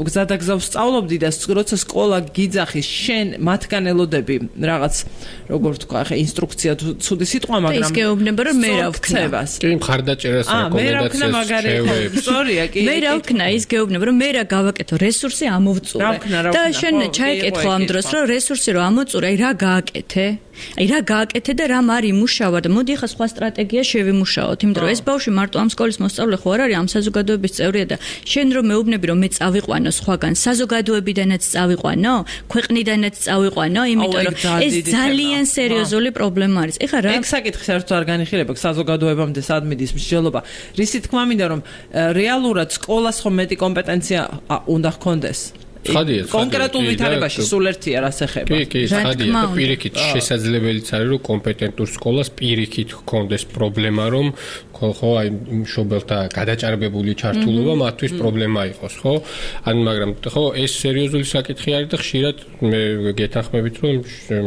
გზადაგზა ვსწავლობდი და როცა სკოლა გიძახის შენ მათგან ელოდები რაღაც როგორ ვთქვა ხე ინსტრუქცია ცუდი სიტყვა მაგრამ ის გეუბნება რომ მე რა ვქნა კი მხარდაჭერას რეკომენდაციას სწორია კი მე რა ვქნა ის გეუბნება რომ მე რა გავაკეთო რესურსი ამოვწურე და შენ ჩაიკითხო ამ დროს რომ რესურსი რომ ამოწურე აი რა გააკეთე აი რა გააკეთე და რა მარი მუშავა და მოდი ხა სხვა სტრატეგია შევიმუშაოთ იმიტომ რომ ეს ბავშვი მარტო ამ სკოლის მოსწავლე ხო არ არის ამ საზოგადოების წევრია და შენ რომ მეუბნები რომ მე წავიყვანო სხვაგან საზოგადოებიდანაც წავიყვანო ქვეყნიდანაც წავიყვანო იმიტომ რომ ეს ძალიან სერიოზული პრობლემა არის ეხლა რა ეგ საკითხი საერთოდ არ განიხილება საზოგადოებამდე სად მიდის მსჯელობა რისი თქმა მინდა რომ რეალურად სკოლას ხომ მეტი კომპეტენცია უნდა ჰქონდეს კონკრეტულ ვითარებაში სულ ერთია რას ეხება. კი, კი, ხადია და პირიქით შესაძლებელიც არის რომ კომპეტენტურ სკოლას პირიქით ჰქონდეს პრობლემა რომ ხო აი მშობელთა გადაჭარბებული ჩართულობა მათთვის პრობლემა იყოს, ხო? ან მაგრამ ხო ეს სერიოზული საკითხი არის და ხშირად მე გეთანხმებით რომ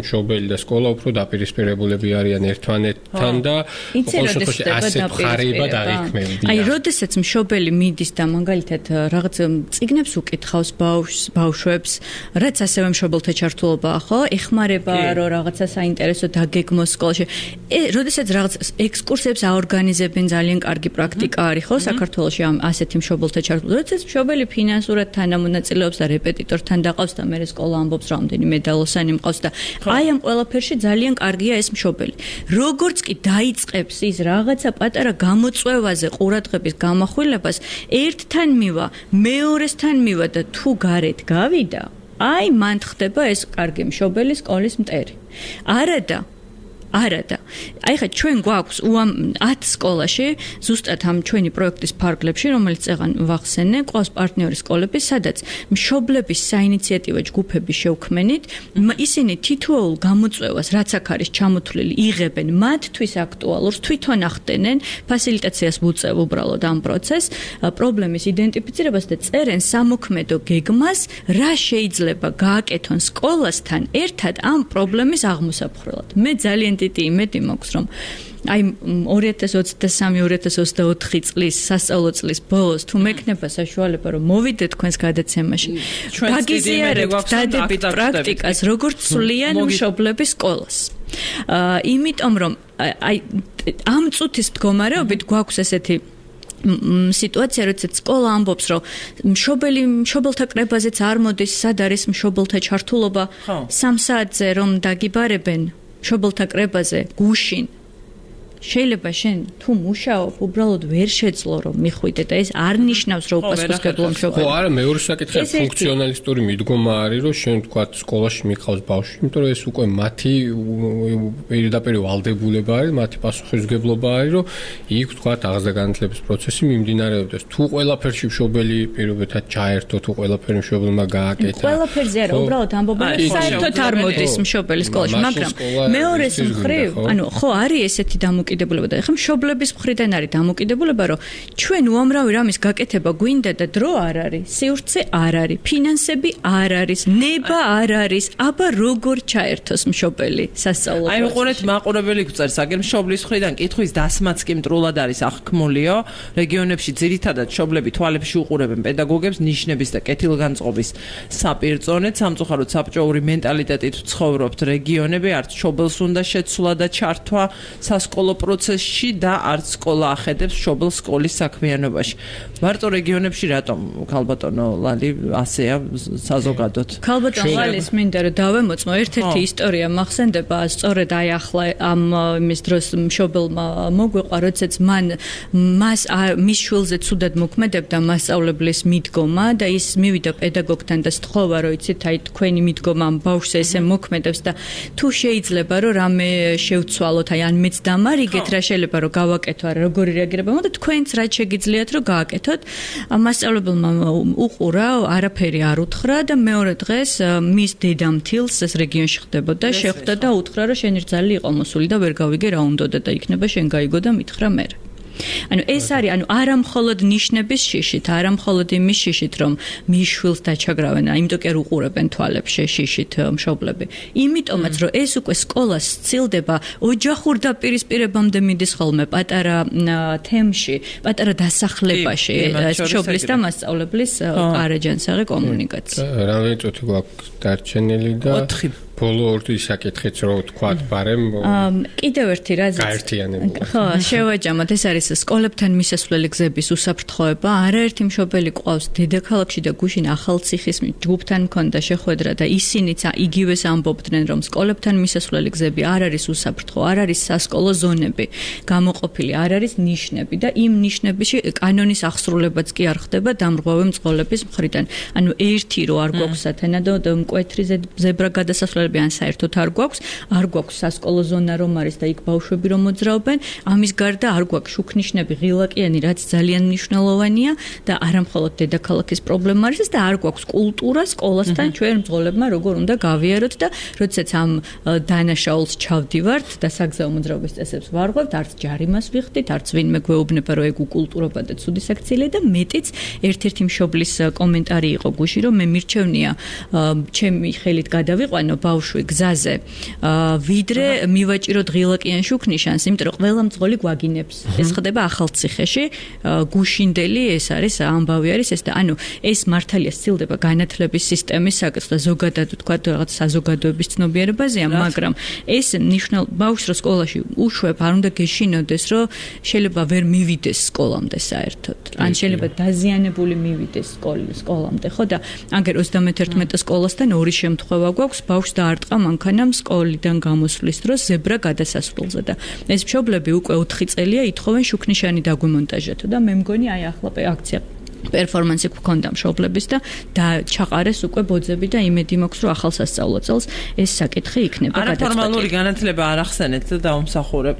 მშობელი და სკოლა უფრო დაპირისპირებულები არიან ერთმანეთთან და ყოველ შემთხვევაში ასეთ მხარეებად არ იქმნებიან. აი როდესაც მშობელი მიდის და მაგალითად რაღაც წიგნებს უკითხავს ბავშვს ბავშვებს, რაც ასევე მშობელთა ჩართულობა, ხო? ეხმარება რომ რაღაცა საინტერესო დაგეგმოს სკოლაში. ე, როდესაც რაღაც ექსკურსიებს აორგანიზებენ, ძალიან კარგი პრაქტიკა არის, ხო, საქართველოში ამ ასეთი მშობელთა ჩართულობა. როდესაც მშობელი ფინანსურად თანამონაწილეობს და რეპეტიტორთან დაყავს და მე სკოლა ამბობს რამდენიმე დალოსანი მყავს და აი ამ ყველაფერში ძალიან კარგია ეს მშობელი. როგორც კი დაიწყებს ის რაღაცა პატარა გამოწვევაზე ყურადღების გამახვილებას, ერთთან მივა, მეორესთან მივა და თუ გარეთ გავიდა, აი მან ხდება ეს კარგი მშობელი სკოლის მტერი. არადა არადა. აი ხა ჩვენ გვაქვს ათ სკოლაში, ზუსტად ამ ჩვენი პროექტის ფარგლებში, რომელიც წეგან ვახსენე, ყავს პარტნიორი სკოლები, სადაც მშობლების საინიციატივო ჯგუფები შევქმენით, ისინი თითოეულ გამოწვევას, რაც აქ არის ჩამოთვლილი, იღებენ მათთვის აქტუალურს, თვითონ ახდენენ, ფასილიტაციას ვუწევ უბრალოდ ამ პროცესს, პრობლემის იდენტიფიცირებას და წერენ სამოქმედო გეგმას, რა შეიძლება გააკეთონ სკოლასთან ერთად ამ პრობლემის აღმოსაფხვრელად. მე ძალიან დიდი იმედი მაქვს რომ აი ორი ათას ოცდასამი ორი ათას ოცდაოთხი წლის სასწავლო წლის ბოლოს თუ მექნება საშუალება რომ მოვიდეთ თქვენს გადაცემაში გაგიზიარებთ დადებით პრაქტიკას როგორც სვლიან მშობლების სკოლას იმიტომ რომ აი ამ წუთის მდგომარეობით გვაქვს ესეთი სიტუაცია როდესაც სკოლა ამბობს რომ მშობელი მშობელთა კრებაზეც არ მოდის სად არის მშობელთა ჩართულობა სამ საათზე რომ დაგიბარებენ მშობელთა კრებაზე გუშინ შეიძლება შენ თუ მუშაობ, უბრალოდ ვერ შეძლო რომ მიხვიდე და ეს არ ნიშნავს რომ უპასუხისმგებლო მშობელი. ხო, არა, მეორე საკითხია ფუნქციონალისტური მიდგომა არის, რომ შენ თქვა სკოლაში მიყავს ბავშვი, იმიტომ რომ ეს უკვე მათი პირდაპირ ვალდებულება არის, მათი პასუხისმგებლობა არის, რომ იქ თქვა აღზრდა-განათლების პროცესი მიმდინარეობდეს. თუ ყველაფერში მშობელი პირობითად ჩაერთო, თუ ყველაფერი მშობელმა გააკეთა. ყველაფერზე არა, უბრალოდ ამბობენ, საერთოდ არ მოდის მშობელი სკოლაში, მაგრამ მეორეს მხრივ, ანუ ხო არის ესეთი დამოკიდებულება და ეხლა მშობლების მხრიდან არის დამოკიდებულება, რომ ჩვენ უამრავი რამის გაკეთება გვინდა და დრო არ არის, სივრცე არ არის, ფინანსები არ არის, ნება არ არის, აბა როგორ ჩაერთოს მშობელი სასწავლო პროცესში? აი უყურეთ მაყურებელი გვწერს, აგერ მშობლის მხრიდან კითხვის დასმაც კი მტრულად არის აღქმულიო, რეგიონებში ძირითადად მშობლები თვალებში უყურებენ პედაგოგებს ნიშნების და კეთილგანწყობის საპირწონედ, სამწუხაროდ საბჭოური მენტალიტეტით ცხოვრობთ რეგიონები, არც მშობელს უნდა შეცვლა და ჩართვა სასკოლო პროცესში და არც სკოლა ახედებს მშობელს სკოლის საქმიანობაში. მარტო რეგიონებში რატომ ქალბატონო ლალი ასეა საზოგადოდ? ქალბატონო ლალის მინდა რომ დავემოწმო ერთ-ერთი ისტორია მახსენდება, სწორედ აი ახლა ამ იმის დროს მშობელმა მოგვიყვა, როდესაც მან მას მის შვილზე ცუდად მოქმედებდა მასწავლებლის მიდგომა და ის მივიდა პედაგოგთან და სთხოვა, რომ იცით, აი თქვენი მიდგომა ამ ბავშვს ესე მოქმედებს და თუ შეიძლება რომ რამე შევცვალოთ, აი ან მეც დამარიგეთ რა შეიძლება რომ გავაკეთო, არა როგორი რეაგირება მოხდა, თქვენც რაც შეგიძლიათ რომ გააკეთოთ. მასწავლებელმა უყურა, არაფერი არ უთხრა და მეორე დღეს მის დედამთილს ეს რეგიონში ხდებოდა, შეხვდა და უთხრა, რომ შენი რძალი იყო მოსული და ვერ გავიგე რა უნდოდა და იქნება შენ გაიგო და მითხრა მე. ანუ ეს არის, ანუ არა მხოლოდ ნიშნების შიშით, არა მხოლოდ იმის შიშით, რომ მის შვილს დაჩაგრავენ, იმიტომ კი არ უყურებენ თვალებში შიშით მშობლები. იმიტომაც, რომ ეს უკვე სკოლას სცილდება ოჯახურ დაპირისპირებამდე მიდის ხოლმე პატარა თემში, პატარა დასახლებაში, მშობლის და მასწავლებლის ყარაჯანსაღი კომუნიკაცია. რამდენი წუთი გვაქვს დარჩენილი და ბოლო ორი საკითხიც რო თქვათ ბარემ კიდევ ერთი რაზეც გაერთიანებული. ხო, შევაჯამოთ, ეს არის სკოლებთან მისასვლელი გზების უსაფრთხოება. არაერთი მშობელი ყავს დედაქალაქში და გუშინ ახალციხის ჯგუფთან მქონდა შეხვედრა და ისინიც იგივეს ამბობდნენ, რომ სკოლებთან მისასვლელი გზები არ არის უსაფრთხო, არ არის სასკოლო ზონები გამოყოფილი, არ არის ნიშნები და იმ ნიშნებში კანონის აღსრულებაც კი არ ხდება დამრღვევი მძღოლების მხრიდან. ანუ ერთი რო არ გვაქვს სათანადო მკვეთრი ზებრა გადასასვლელი ან საერთოდ არ გვაქვს, არ გვაქვს სასკოლო ზონა რომ არის და იქ ბავშვები რომ მოძრაობენ, ამის გარდა არ გვაქვს შუქნიშნები ღილაკიანი, რაც ძალიან მნიშვნელოვანია და არა მხოლოდ დედაქალაქის პრობლემა არის და არ გვაქვს კულტურა სკოლასთან ჩვენ მძღოლებმა როგორ უნდა გავიაროთ და როდესაც ამ დანაშაულს ჩავდივართ და საგზაო მოძრაობის წესებს ვარღვევთ, არც ჯარიმას ვიხდით, არც ვინმე გვეუბნება რომ ეგ უკულტურობა და ცუდი საქციელია და მეტიც ერთ-ერთი მშობლის კომენტარი იყო გუში, რომ მე მირჩევნია ჩემი ხელით გადავიყვანო ბავშვი გზაზე, ვიდრე მივაჭიროთ ღილაკიან შუქნიშანს, იმიტომ რომ ყველა მძღოლი გვაგინებს. ეს ხდება ახალციხეში, გუშინდელი ეს არის, ამბავი არის ეს და ანუ ეს მართალია სცილდება განათლების სისტემის საკითხს და ზოგადად თქვა რაღაც საზოგადოების ცნობიერებაზეა, მაგრამ ეს ნიშნულ ბავშვს რო სკოლაში უშვებ, არ უნდა გეშინოდეს, რომ შეიძლება ვერ მივიდეს სკოლამდე საერთოდ. ან შეიძლება დაზიანებული მივიდეს სკოლამდე, ხო და აგერ ოცდამეთერთმეტე სკოლასთან ორი შემთხვევა გვაქვს, ბავშვს დაარტყა მანქანამ სკოლიდან გამოსვლის დროს ზებრა გადასასვლელზე და ეს მშობლები უკვე ოთხი წელია ითხოვენ შუქნიშანი დაგვიმონტაჟეთო და მე მგონი აი ახლა აქცია პერფორმანსი გქონდა მშობლების და ჩაყარეს უკვე ბოძები და იმედი მაქვს რომ ახალ სასწავლო წელს ეს საკითხი იქნება გადაწყვეტილი. არაფორმალური განათლება არ ახსენეთ და დაუმსახურებ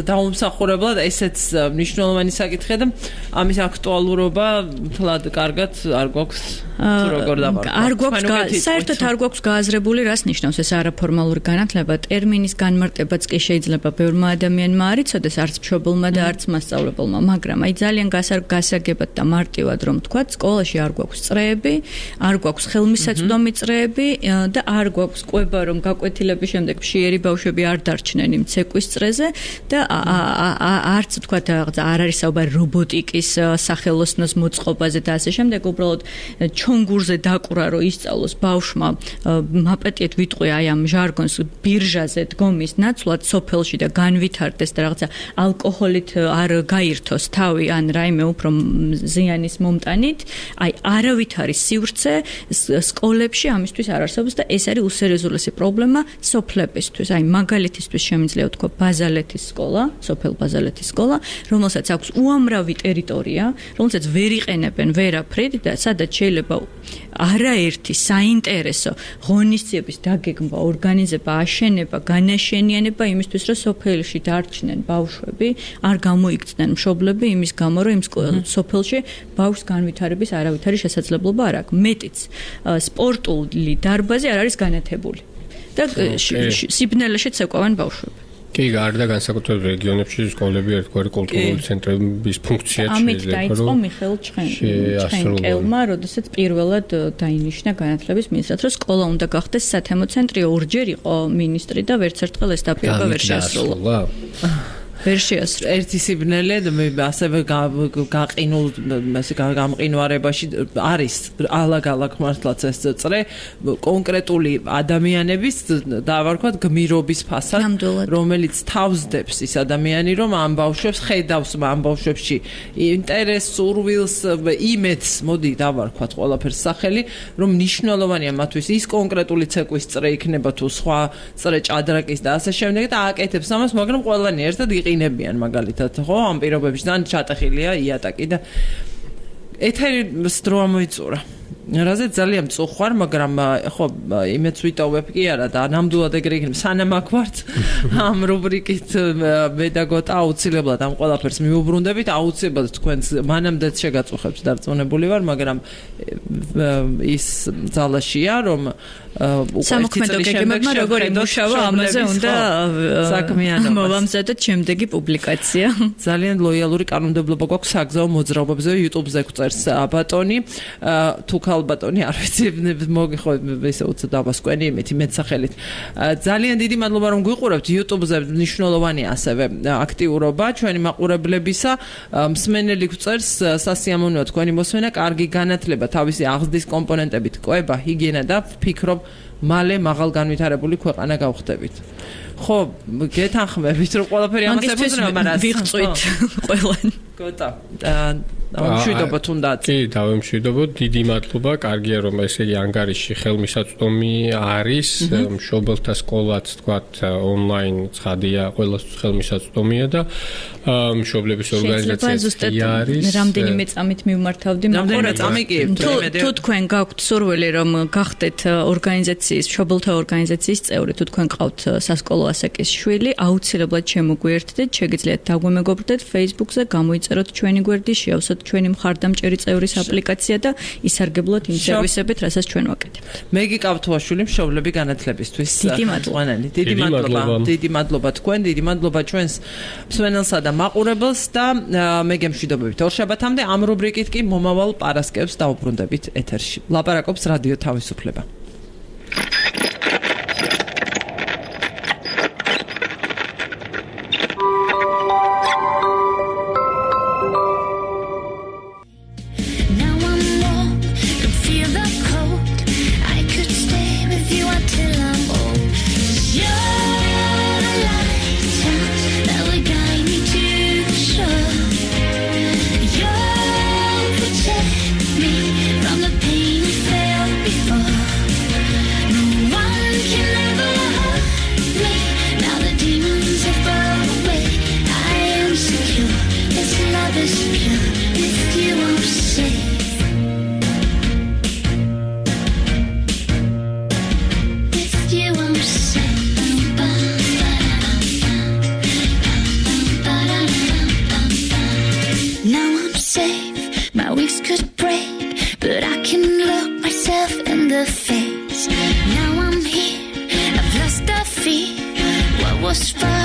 დაუმსახურებლად ესეც მნიშვნელოვანი საკითხია და ამის აქტუალურობა თლად კარგად არ გვაქვს თუ როგორ დავარქვა. არ გვაქვს საერთოდ არ გვაქვს გააზრებული რას ნიშნავს ეს არაფორმალური განათლება. ტერმინის განმარტებაც კი შეიძლება ბევრმა ადამიანმა არ იცოდეს, არც მშობელმა და არც მასწავლებელმა, მაგრამ აი ძალიან გასაგებად და მარტივად რომ თქვა, სკოლაში არ გვაქვს წრეები, არ გვაქვს ხელმისაწვდომი წრეები და არ გვაქვს კვება რომ გაკვეთილების შემდეგ მშიერი ბავშვები არ დარჩნენ იმ ცეკვის წრეზე და არც თქვა არ არის საუბარი რობოტიკის სახელოსნოს მოწყობაზე და ასე შემდეგ, უბრალოდ თონგურზე დაკვრა რომ ისწავლოს ბავშვმა მაპატიეთ ვიტყვი აი ამ ჟარგონს ბირჟაზე დგომის ნაცვლად სოფელში და განვითარდეს და რაღაცა ალკოჰოლით არ გაირთოს თავი ან რაიმე უფრო ზიანის მომტანით აი არავით არის სივრცე სკოლებში ამისთვის არ არსებობს და ეს არის უსერიოზულესი პრობლემა სოფლებისთვის აი მაგალითისთვის შემიძლია ვთქვა ბაზალეთის სკოლა სოფელ ბაზალეთის სკოლა რომელსაც აქვს უამრავი ტერიტორია რომელსაც ვერ იყენებენ ვერაფრით და სადაც შეიძლება არაერთი საინტერესო ღონისძიების დაგეგმვა ორგანიზება აშენება განაშენიანება იმისთვის რომ სოფელში დარჩნენ ბავშვები არ გამოიქცნენ მშობლები იმის გამო რომ იმ სოფელში ბავშვს განვითარების არავითარი შესაძლებლობა არ აქვს მეტიც სპორტული დარბაზი არ არის განათებული და სიბნელეშიც ეკავენ ბავშვები კი, გარდა განსაკუთრებით რეგიონებში სკოლები ერთგვარი კულტურული ცენტრების ფუნქციაც შეიძლება. ამით დაიწყო მიხეილ ჩხენკელმა, როდესაც პირველად დაინიშნა განათლების მინისტრად, რომ სკოლა უნდა გახდეს სათემო ცენტრი, ორჯერ იყო მინისტრი და ვერც ერთხელ ეს დაპირება ვერ შეასრულა. ვერ შეასრულა. ერთი სიბნელე ასევე გაყინულ ასე გამყინვარებაში არის ალაგ-ალაგ მართლაც ეს წრე კონკრეტული ადამიანების დავარქვათ გმირობის ფასად რომელიც თავსდებს ის ადამიანი რომ ამ ბავშვებს ხედავს ამ ბავშვებში ინტერესს სურვილს იმედს მოდი დავარქვათ ყველაფერს სახელი რომ მნიშვნელოვანია მათთვის ის კონკრეტული ცეკვის წრე იქნება თუ სხვა წრე ჭადრაკის და ასე შემდეგ და აკეთებს ამას მაგრამ ყველანი ერთად იყინებიან მაგალითად ხო ამ პირობებში ძალიან ჩატეხილია იატაკი და ეთერის დრო ამოიწურა რაზეც ძალიან მწუხვარ მაგრამ ხო იმეც ვიტოვებ კი არა და ნამდვილად ეგრე იქნება სანამ აქ ვართ ამ რუბრიკით მე და გოტა აუცილებლად ამ ყველაფერს მიუბრუნდებით აუცილებლად თქვენს მანამდეც შეგაწუხებს დარწმუნებული ვარ მაგრამ ის ძალაშია რომ სამოქმედო გეგმებმა როგორ იმუშავა ამაზე უნდა საქმიანობა მოვამზადოთ შემდეგი პუბლიკაცია ძალიან ლოიალური კანონმდებლობა გვაქვს საგზაო მოძრაობებზე YouTube-ზე გვწერს ბატონი თუ ალბატონი არ ვიცი მოგიხო ესე უცებ დავასკვენი იმით მეცახელით ძალიან დიდი მადლობა რომ გვიყურებთ YouTube-ზე მნიშვნელოვანი ასევე აქტიურობა ჩვენი მაყურებლებისა მსმენელი გვწერს სასიამოვნოა თქვენი მოსმენა კარგი განათლება თავისი აღზრდის კომპონენტებით ყვება ჰიგიენა და ვფიქრობ მალე მაღალ განვითარებული ქვეყანა გავხდებით ხო გეთანხმებით რომ ყველაფერი ამას ებრძნება მაგრამ ვიღწვით ყველანი გოტა ამშვიდობა თუნდაც კი დავემშვიდობოთ დიდი მადლობა კარგია რომ ესე იგი ანგარიში ხელმისაწვდომი არის მშობელთა სკოლაც თქვათ ონლაინ ცხადია ყველას ხელმისაწვდომია და მშობლების ორგანიზაციაც არის რამდენიმე წამით მიმართავდი რამდენიმე წამი კი თუ თქვენ გაქვთ სურვილი რომ გახდეთ ორგანიზაციის მშობელთა ორგანიზაციის წევრი თუ თქვენ ყავთ სასკოლო ასაკის შვილი აუცილებლად შემოგვიერთდეთ შეგიძლიათ დაგვემეგობრდეთ Facebook-ზე გამოიწეროთ ჩვენი გვერდი შეავსოთ ჩვენი მხარდამჭერი წევრის აპლიკაცია და ისარგებლოთ იმ სერვისებით, რასაც ჩვენ ვაკეთებთ. მე გიყავთ ვაშვილი მშობლები განათლებისთვის. დიდი მადლობა. დიდი მადლობა. დიდი მადლობა თქვენ, დიდი მადლობა ჩვენს მსმენელსა და მაყურებელს და მე გემშვიდობებით. ორშაბათამდე ამ რუბრიკით კი მომავალ პარასკევს დავუბრუნდებით ეთერში. ლაპარაკობს რადიო თავისუფლება. Was fun.